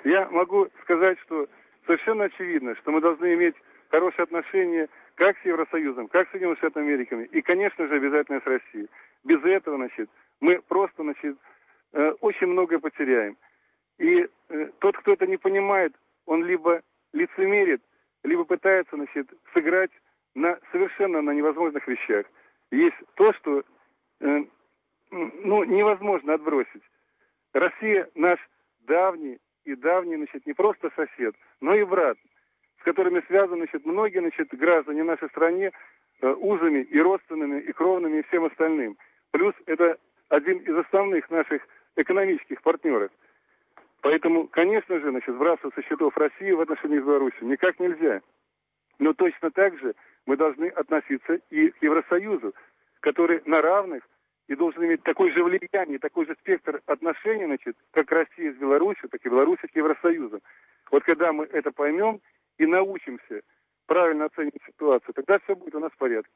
Я могу сказать, что совершенно очевидно, что мы должны иметь хорошие отношения как с Евросоюзом, как с Соединенными Штатами Америки, и, конечно же, обязательно с Россией. Без этого, значит, мы просто, значит, очень многое потеряем. И тот, кто это не понимает, он либо лицемерит, либо пытается, значит, сыграть совершенно на невозможных вещах. Есть то, что невозможно отбросить. Россия наш давний, значит, не просто сосед, но и брат, с которыми связаны, значит, многие, значит, граждане в нашей стране узами и родственными, и кровными, и всем остальным. Плюс это один из основных наших экономических партнеров. Поэтому, конечно же, значит, сбрасывать со счетов России в отношении с Беларусью никак нельзя. Но точно так же мы должны относиться и к Евросоюзу, который на равных и должен иметь такое же влияние, такой же спектр отношений, значит, как Россия с Беларусью, так и Беларусь к Евросоюзу. Вот когда мы это поймем и научимся правильно оценивать ситуацию, тогда все будет у нас в порядке.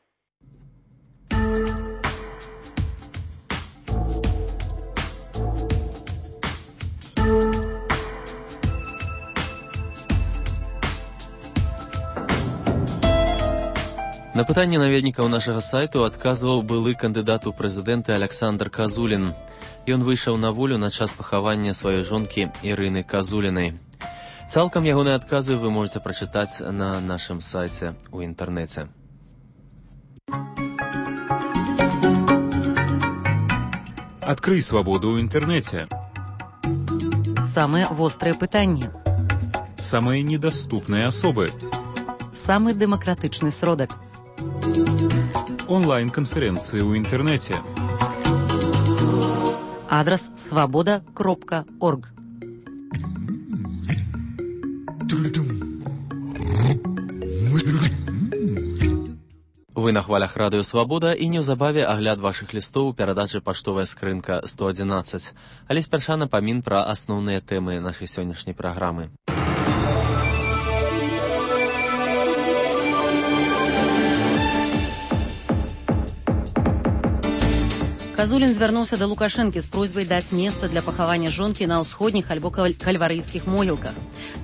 На пытанне наведнікаў нашага сайту адказваў былы кандыдат у прэзідэнты Александр Казулін. Ён выйшаў на волю на час пахавання сваёй жонкі Ірыны Казулінай. Цалкам ягоныя адказы вы можете прачытаць на нашым сайце ў інтэрнэце.
Адкрый свабоду ў інтэрнэце.
Самыя вострыя пытанні.
Самыя недаступныя асобы.
Самы дэмакратычны сродак.
Онлайн-канферэнцыі ў інтэрнэце.
Адрас свабода.орг.
Вы на хвалях радыё Свабода і неўзабаве агляд вашых лістоў у перадачы паштовая скрынка 111. Але спярша напамін пра асноўныя тэмы нашай сённяшняй праграмы.
Казулін звярнуўся да Лукашэнкі з просьбай даць месца для пахавання жонкі на ўсходніх альбо кальварыйскіх могілках.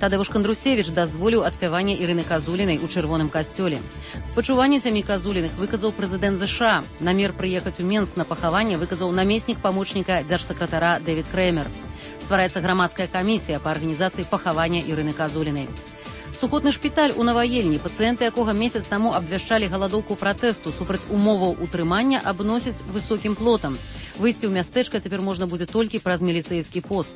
Тадeusz Кандрусевіч дазволіў адпяванне Ірыны Казулінай у чырвоным касцёле. Спачуванне сям'і Казуліных выказаў прэзідэнт ЗША. Намер прыехаць у Менск на пахаванне выказаў намеснік памочніка дзяржсакратара Дэвід Крэмер. Ствараецца грамадская камісія па арганізацыі пахавання Ірыны Казулінай. Сухотны шпіталь у Наваельні, пацыенты якога месяц таму абвяшчалі галадоўку пратэсту супраць умоваў утрымання, абносяць высокім плотам. Выйсці ў мястэчка цяпер можна будзе толькі праз міліцэйскі пост.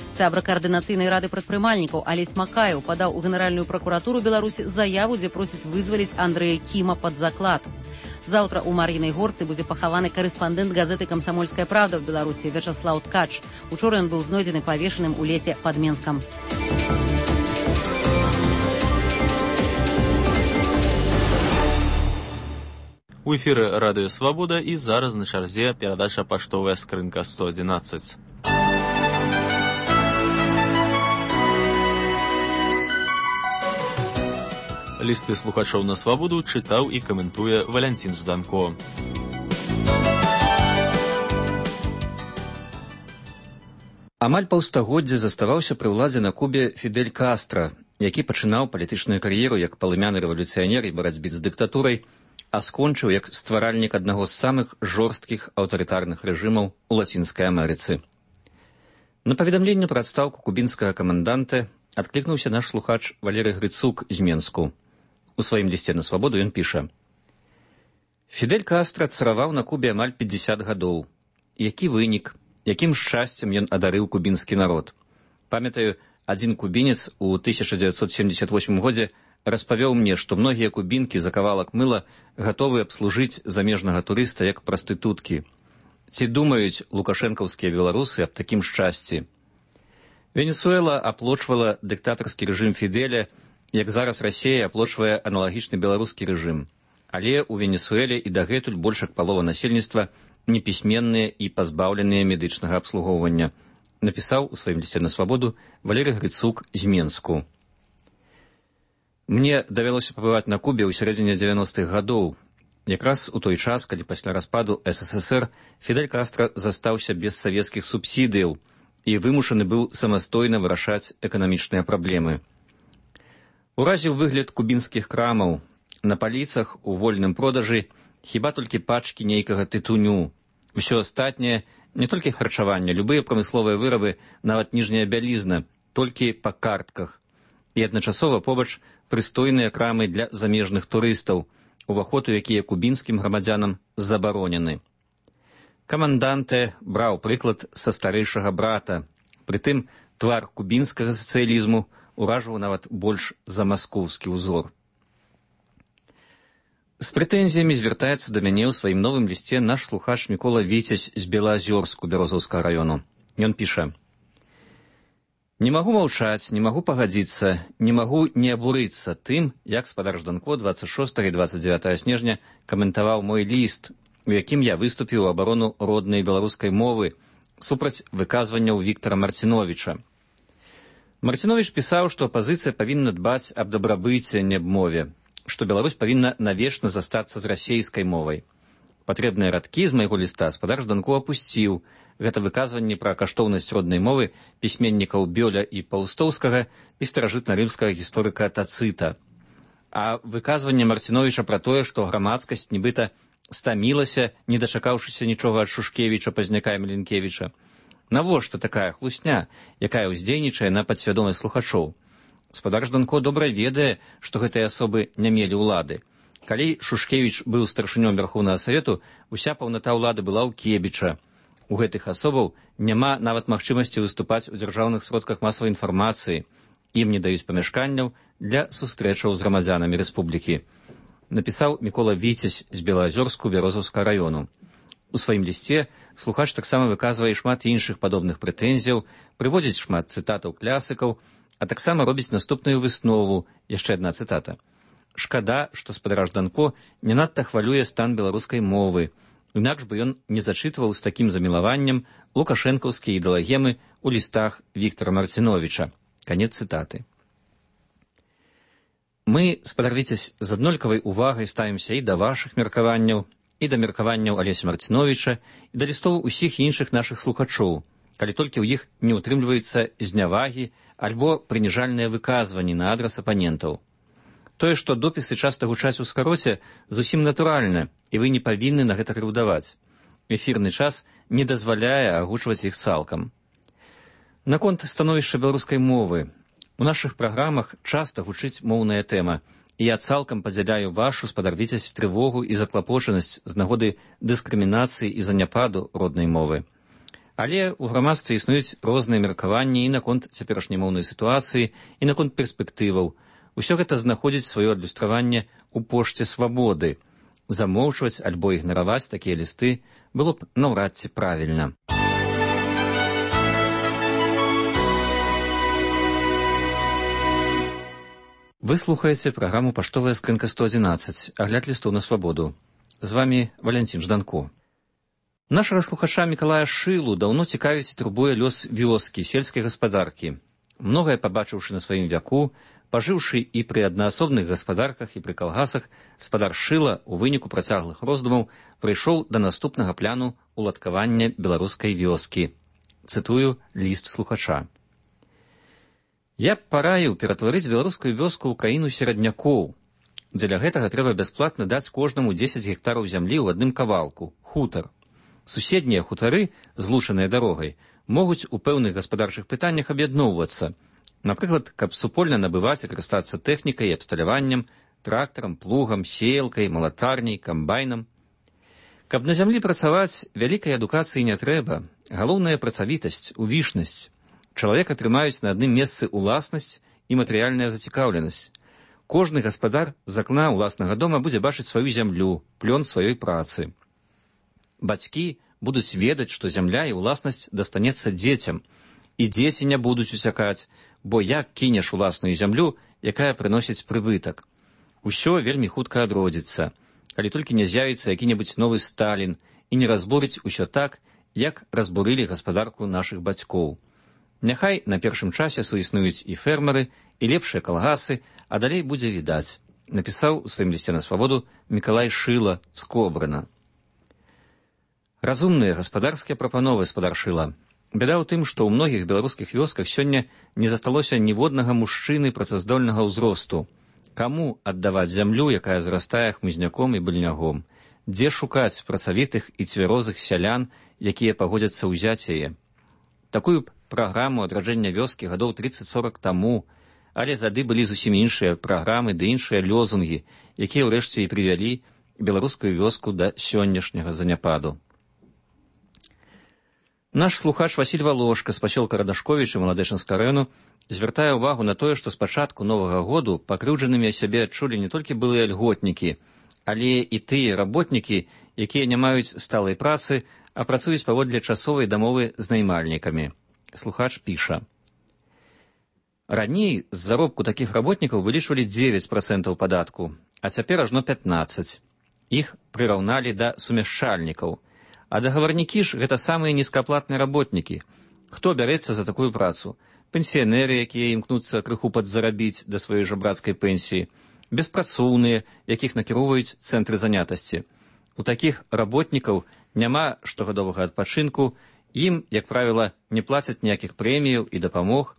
Сябра каардынацыйнай рады прадпрымальнікаў Алесь Макаеў падаў у Генеральную пракуратуру Беларусі заяву, дзе просіць вызваліць Андрэя Кіма пад заклад. Заўтра ў Мар'інай Горцы будзе пахаваны карэспандэнт газеты «Камсамольская правда» в Беларусі Вячаслаў Ткач. Учора ён быў знойдзены павешаным у лесе пад Менскам.
У эфіры радыё Свабода і зараз на чарзе перадача паштовая скрынка 111. Лісты слухачоў на Свабоду чытаў і каментуе Валянцін Жданко.
Амаль паўстагоддзя заставаўся пры ўладзе на Кубе Фідель Кастра, які пачынаў палітычную кар'еру як палымяны рэвалюцыянер і барацьбе з дыктатурай, а скончыў як стваральнік аднаго з самых жорсткіх аўтарытарных рэжымаў у Лацінскай Амерыцы. На паведамленне пра адстаўку кубінскага каманданта адклікнуўся наш слухач Валерый Грыцук з Менску. У сваім лісце на Свабоду ён піша: «Фідель Кастра цараваў на Кубе амаль 50 гадоў. Які вынік, якім шчасцем ён адарыў кубінскі народ. Памятаю, адзін кубінец у 1978 годзе распавёў мне, што многія кубінкі за кавалак мыла гатовы абслужыць замежнага турыста як прастытуткі. Ці думаюць лукашэнкаўскія беларусы аб такім шчасці? Венесуэла аплочвала дыктатарскі рэжым Фідэля, як зараз Расія аплочвае аналагічны беларускі рэжым. Але ў Венесуэле і дагэтуль больш як палова насельніцтва непісьменныя і пазбаўленыя медычнага абслугоўвання, напісаў у сваім лісце на свабоду Валерый Грыцук з Менску. Мне давялося пабываць на Кубе ў сярэдзіне 90-х гадоў, якраз у той час, калі пасля распаду СССР Фідель Кастра застаўся без савецкіх субсідыяў і вымушаны быў самастойна вырашаць эканамічныя праблемы. Уразіў выгляд кубінскіх крамаў. На паліцах у вольным продажы хіба толькі пачкі нейкага тытуню. Усё астатняе, не толькі харчаванне, любыя прамысловыя вырабы, нават ніжняя бялізна, толькі па картках. І адначасова побач прыстойныя крамы для замежных турыстаў, уваход у якія кубінскім грамадзянам забаронены. Каманданте браў прыклад са старэйшага брата. Прытым твар кубінскага сацыялізму уражваў нават больш за маскоўскі ўзор. З прэтэнзіямі звяртаецца да мяне ў сваім новым лісце наш слухач Мікола Віцязь з Белаазёрску Бярозаўскага раёну. Ён піша: «Не магу маўчаць, не магу пагадзіцца, не магу не абурыцца тым, як спадар Жданко 26 і 29 снежня каментаваў мой ліст, у якім я выступіў у абарону роднай беларускай мовы супраць выказванняў Віктара Марціновіча. Марціновіч пісаў, што апазіцыя павінна дбаць аб дабрабыце, не аб мове, што Беларусь павінна навечна застацца з расейскай мовай. Патрэбныя радкі з майго ліста спадар Жданко апусціў. Гэта выказванне пра каштоўнасць роднай мовы пісьменнікаў Бёля і Паўстоўскага і старажытна-рымскага гісторыка Тацыта. А выказванне Марціновіча пра тое, што грамадскасць нібыта стамілася, не дачакаўшыся нічога ад Шушкевіча, Пазняка і Міленкевіча. Навошта такая хлусня, якая ўздзейнічае на падсвядомасць слухачоў? Спадар Жданко добра ведае, што гэтыя асобы не мелі ўлады. Калі Шушкевіч быў старшынём Верхоўнага Савету, уся паўната ўлады была ў Кебіча. У гэтых асобаў няма нават магчымасці выступаць у дзяржаўных сродках масавай інфармацыі. Ім не даюць памяшканняў для сустрэчаў з грамадзянамі рэспублікі. Напісаў Мікола Віцязь з Белаазёрску Бярозаўскага раёну. У сваім лісце слухач таксама выказвае шмат іншых падобных прэтэнзіяў, прыводзіць шмат цытатаў класікаў, а таксама робіць наступную выснову, яшчэ адна цытата. «Шкада, што спадар Жданко не надта хвалюе стан беларускай мовы, інакш бы ён не зачытваў з такім замілаваннем лукашэнкаўскія ідэалагемы ў лістах Віктара Марціновіча». Канец цытаты. Мы, спадар Віцязь, з аднолькавай увагай ставімся і да вашых меркаванняў, і да меркаванняў Алеся Марціновіча, і да лістоў усіх іншых нашых слухачоў, калі толькі ў іх не ўтрымліваецца знявагі альбо прыніжальныя выказванні на адрас апанентаў. Тое, што допісы часта гучаць у скароце, зусім натуральна, і вы не павінны на гэта крыўдаваць. Эфірны час не дазваляе агучваць іх цалкам. Наконт становішча беларускай мовы. У нашых праграмах часта гучыць моўная тэма, і я цалкам падзяляю вашу, спадар Віцязь, трывогу і заклапочанасць з нагоды дыскрымінацыі і заняпаду роднай мовы. Але ў грамадстве існуюць розныя меркаванні і наконт цяперашняй моўнай сітуацыі, і наконт перспектываў. Усё гэта знаходзіць сваё адлюстраванне ў пошце свабоды. Замоўчваць альбо ігнараваць такія лісты было б наўрад ці правільна. Вы слухаеце праграму «Паштовая скрынка 111», агляд лістоў на свабоду. З вамі Валянцін Жданко. Нашага слухача Мікалая Шылу даўно цікавіць і турбуе лёс вёскі, сельскай гаспадаркі. Многае пабачыўшы на сваім вяку, пажыўшы і пры аднаасобных гаспадарках, і пры калгасах, спадар Шыла у выніку працяглых роздумаў прыйшоў да наступнага пляну уладкавання беларускай вёскі. Цытую ліст слухача. «Я б параіў ператварыць беларускую вёску ў краіну сераднякоў. Дзеля гэтага трэба бясплатна даць кожнаму 10 гектараў зямлі ў адным кавалку, хутар. Суседнія хутары, злучаныя дарогай, могуць у пэўных гаспадарчых пытаннях аб'ядноўвацца. Напрыклад, каб супольна набываць і карыстацца тэхнікай і абсталяваннем, трактарам, плугам, сеялкай, малатарняй, камбайнам. Каб на зямлі працаваць, вялікай адукацыі не трэба. Галоўная працавітасць, увішнасць. Чалавека трымаюць на адным месцы ўласнасць і матэрыяльная зацікаўленасць. Кожны гаспадар з акна ўласнага дома будзе бачыць сваю зямлю, плён сваёй працы. Бацькі будуць ведаць, што зямля і ўласнасць дастанецца дзецям, і дзеці не будуць усякаць, бо як кінеш уласную зямлю, якая прыносіць прыбытак. Усё вельмі хутка адродзіцца, калі толькі не з'явіцца які-небудзь новы Сталін і не разбурыць усё так, як разбурылі гаспадарку нашых бацькоў. Няхай на першым часе суіснуюць і фермеры, і лепшыя калгасы, а далей будзе відаць, напісаў у сваім лісце на свабоду Мікалай Шыла з Кобрына. Разумныя гаспадарскія прапановы, спадар Шыла. Бяда ў тым, што ў многіх беларускіх вёсках сёння не засталося ніводнага мужчыны працаздольнага ўзросту. Каму аддаваць зямлю, якая зарастае хмызняком і быльнягом? Дзе шукаць працавітых і цвярозых сялян, якія пагодзяцца ўзяць яе? Такую праграму адраджэння вёскі гадоў 30-40 таму, але тады былі зусім іншыя праграмы ды іншыя лёзунгі, якія ўрэшце і прывялі беларускую вёску да сённяшняга заняпаду. Наш слухач Васіль Валошка з пасёлка Радашковіча Маладэчынскага раёну звяртае ўвагу на тое, што з пачатку новага году пакрыўджанымі сябе адчулі не толькі былыя льготнікі, але і тыя работнікі, якія не маюць сталай працы, а працуюць паводле часовай дамовы з наймальнікамі. Слухач піша. Раней з заробку такіх работнікаў вылічвалі 9% падатку, а цяпер ажно 15%. Іх прыраўналі да сумяшчальнікаў. А дагаварнікі ж гэта самыя нізкааплатныя работнікі. Хто бярэцца за такую працу? Пенсіянеры, якія імкнуцца крыху падзарабіць да сваёй жабрацкай пенсіі, беспрацоўныя, якіх накіроўваюць цэнтры занятасці. У такіх работнікаў няма штогадовага адпачынку, ім, як правіла, не плацяць ніякіх прэміяў і дапамог,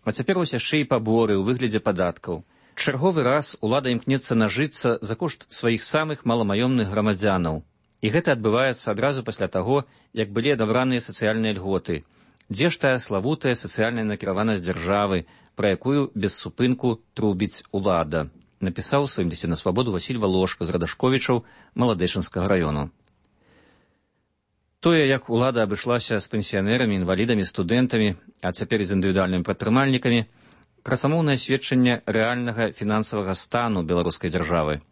а цяпер вось яшчэ і паборы ў выглядзе падаткаў. Чарговы раз улада імкнецца нажыцца за кошт сваіх самых маламаёмных грамадзянаў. І гэта адбываецца адразу пасля таго, як былі адабраныя сацыяльныя льготы. Дзе ж тая славутая сацыяльная накіраванасць дзяржавы, пра якую без супынку трубіць улада, напісаў у сваім лісце на свабоду Васіль Валошка з Радашковічаў Маладэчынскага раёну. Тое, як улада абышлася з пенсіянерамі, інвалідамі, студэнтамі, а цяпер і з індывідуальнымі прадпрымальнікамі, красамоўнае сведчанне рэальнага фінансавага стану беларускай дзяржавы.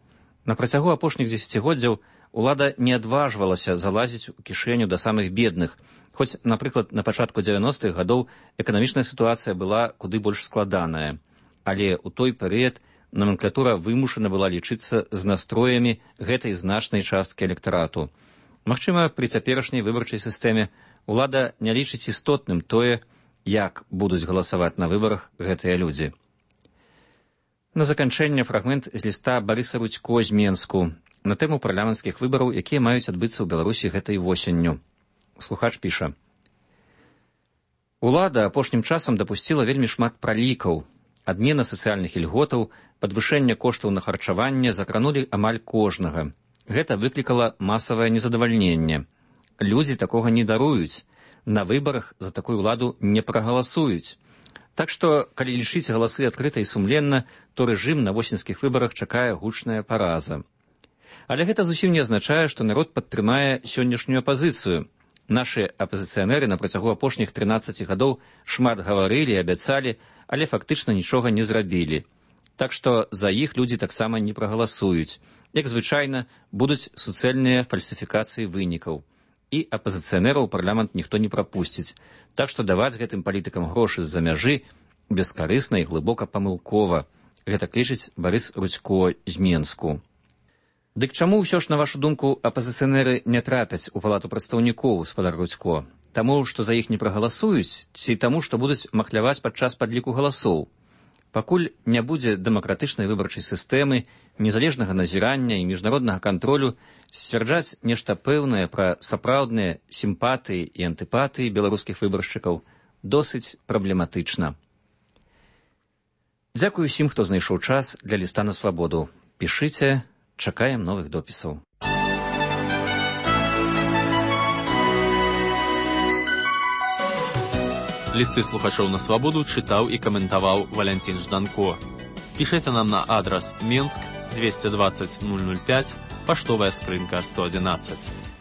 На працягу апошніх дзесяцігоддзяў улада не адважвалася залазіць у кішэню да самых бедных, хоць, напрыклад, на пачатку 90-х гадоў эканамічная сітуацыя была куды больш складаная. Але ў той перыяд номенклатура вымушана была лічыцца з настроямі гэтай значнай часткі электарату. Магчыма, пры цяперашняй выбарчай сістэме улада не лічыць істотным тое, як будуць галасаваць на выбарах гэтыя людзі. На заканчэнне фрагмент з ліста Барыса Рудзько з Менску на тэму парламенцкіх выбараў, якія маюць адбыцца ў Беларусі гэтай восенню. Слухач піша. Улада апошнім часам дапусціла вельмі шмат пралікаў. Адмена сацыяльных ільготаў, падвышэнне коштаў на харчаванне закранулі амаль кожнага. Гэта выклікала масавае незадавальненне. Людзі такога не даруюць. На выбарах за такую ўладу не прагаласуюць. Так што, калі лічыць галасы адкрыта і сумленна, то рэжым на восеньскіх выбарах чакае гучная параза. Але гэта зусім не азначае, што народ падтрымае сённяшнюю апазіцыю. Нашы апазіцыянеры на працягу апошніх 13 гадоў шмат гаварылі, абяцалі, але фактычна нічога не зрабілі. Так што за іх людзі таксама не прагаласуюць. Як звычайна, будуць суцэльныя фальсіфікацыі вынікаў. І апазіцыянераў у парламент ніхто не прапусціць. Так што даваць гэтым палітыкам грошы з-за мяжы бескарысна і глыбока памылкова. Гэта лічыць Барыс Рудзько з Менску. Дык чаму ўсё ж, на вашу думку, апазіцыянеры не трапяць у палату прадстаўнікоў, спадар Рудзько? Таму, што за іх не прагаласуюць, ці таму, што будуць махляваць падчас падліку галасоў? Пакуль не будзе дэмакратычнай выбарчай сістэмы, незалежнага назірання і міжнароднага кантролю, сцвярджаць нешта пэўнае пра сапраўдныя сімпатыі і антыпатыі беларускіх выбаршчыкаў досыць праблематычна. Дзякую усім, хто знайшоў час для ліста на свабоду. Пішыце, чакаем новых допісаў.
Лісты слухачоў на свабоду чытаў і каментаваў Валянцін Жданко. Пішыце нам на адрас Менск 220 005, паштовая скрынка 111.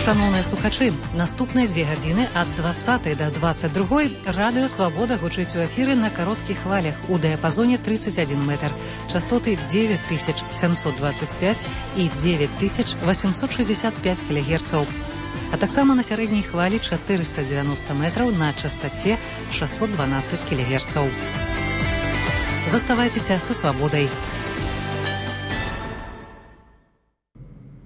Шановныя слухачы, наступныя 2 гадзіны ад 20 до 22 радыё «Свабода» гучыць у эфіры на кароткіх хвалях у дыяпазоне 31 метр, частоты 9725 і 9865 кГц, а таксама на сярэдняй хвалі 490 метраў на частоце 612 кГц. Заставайцеся са «Свабодай».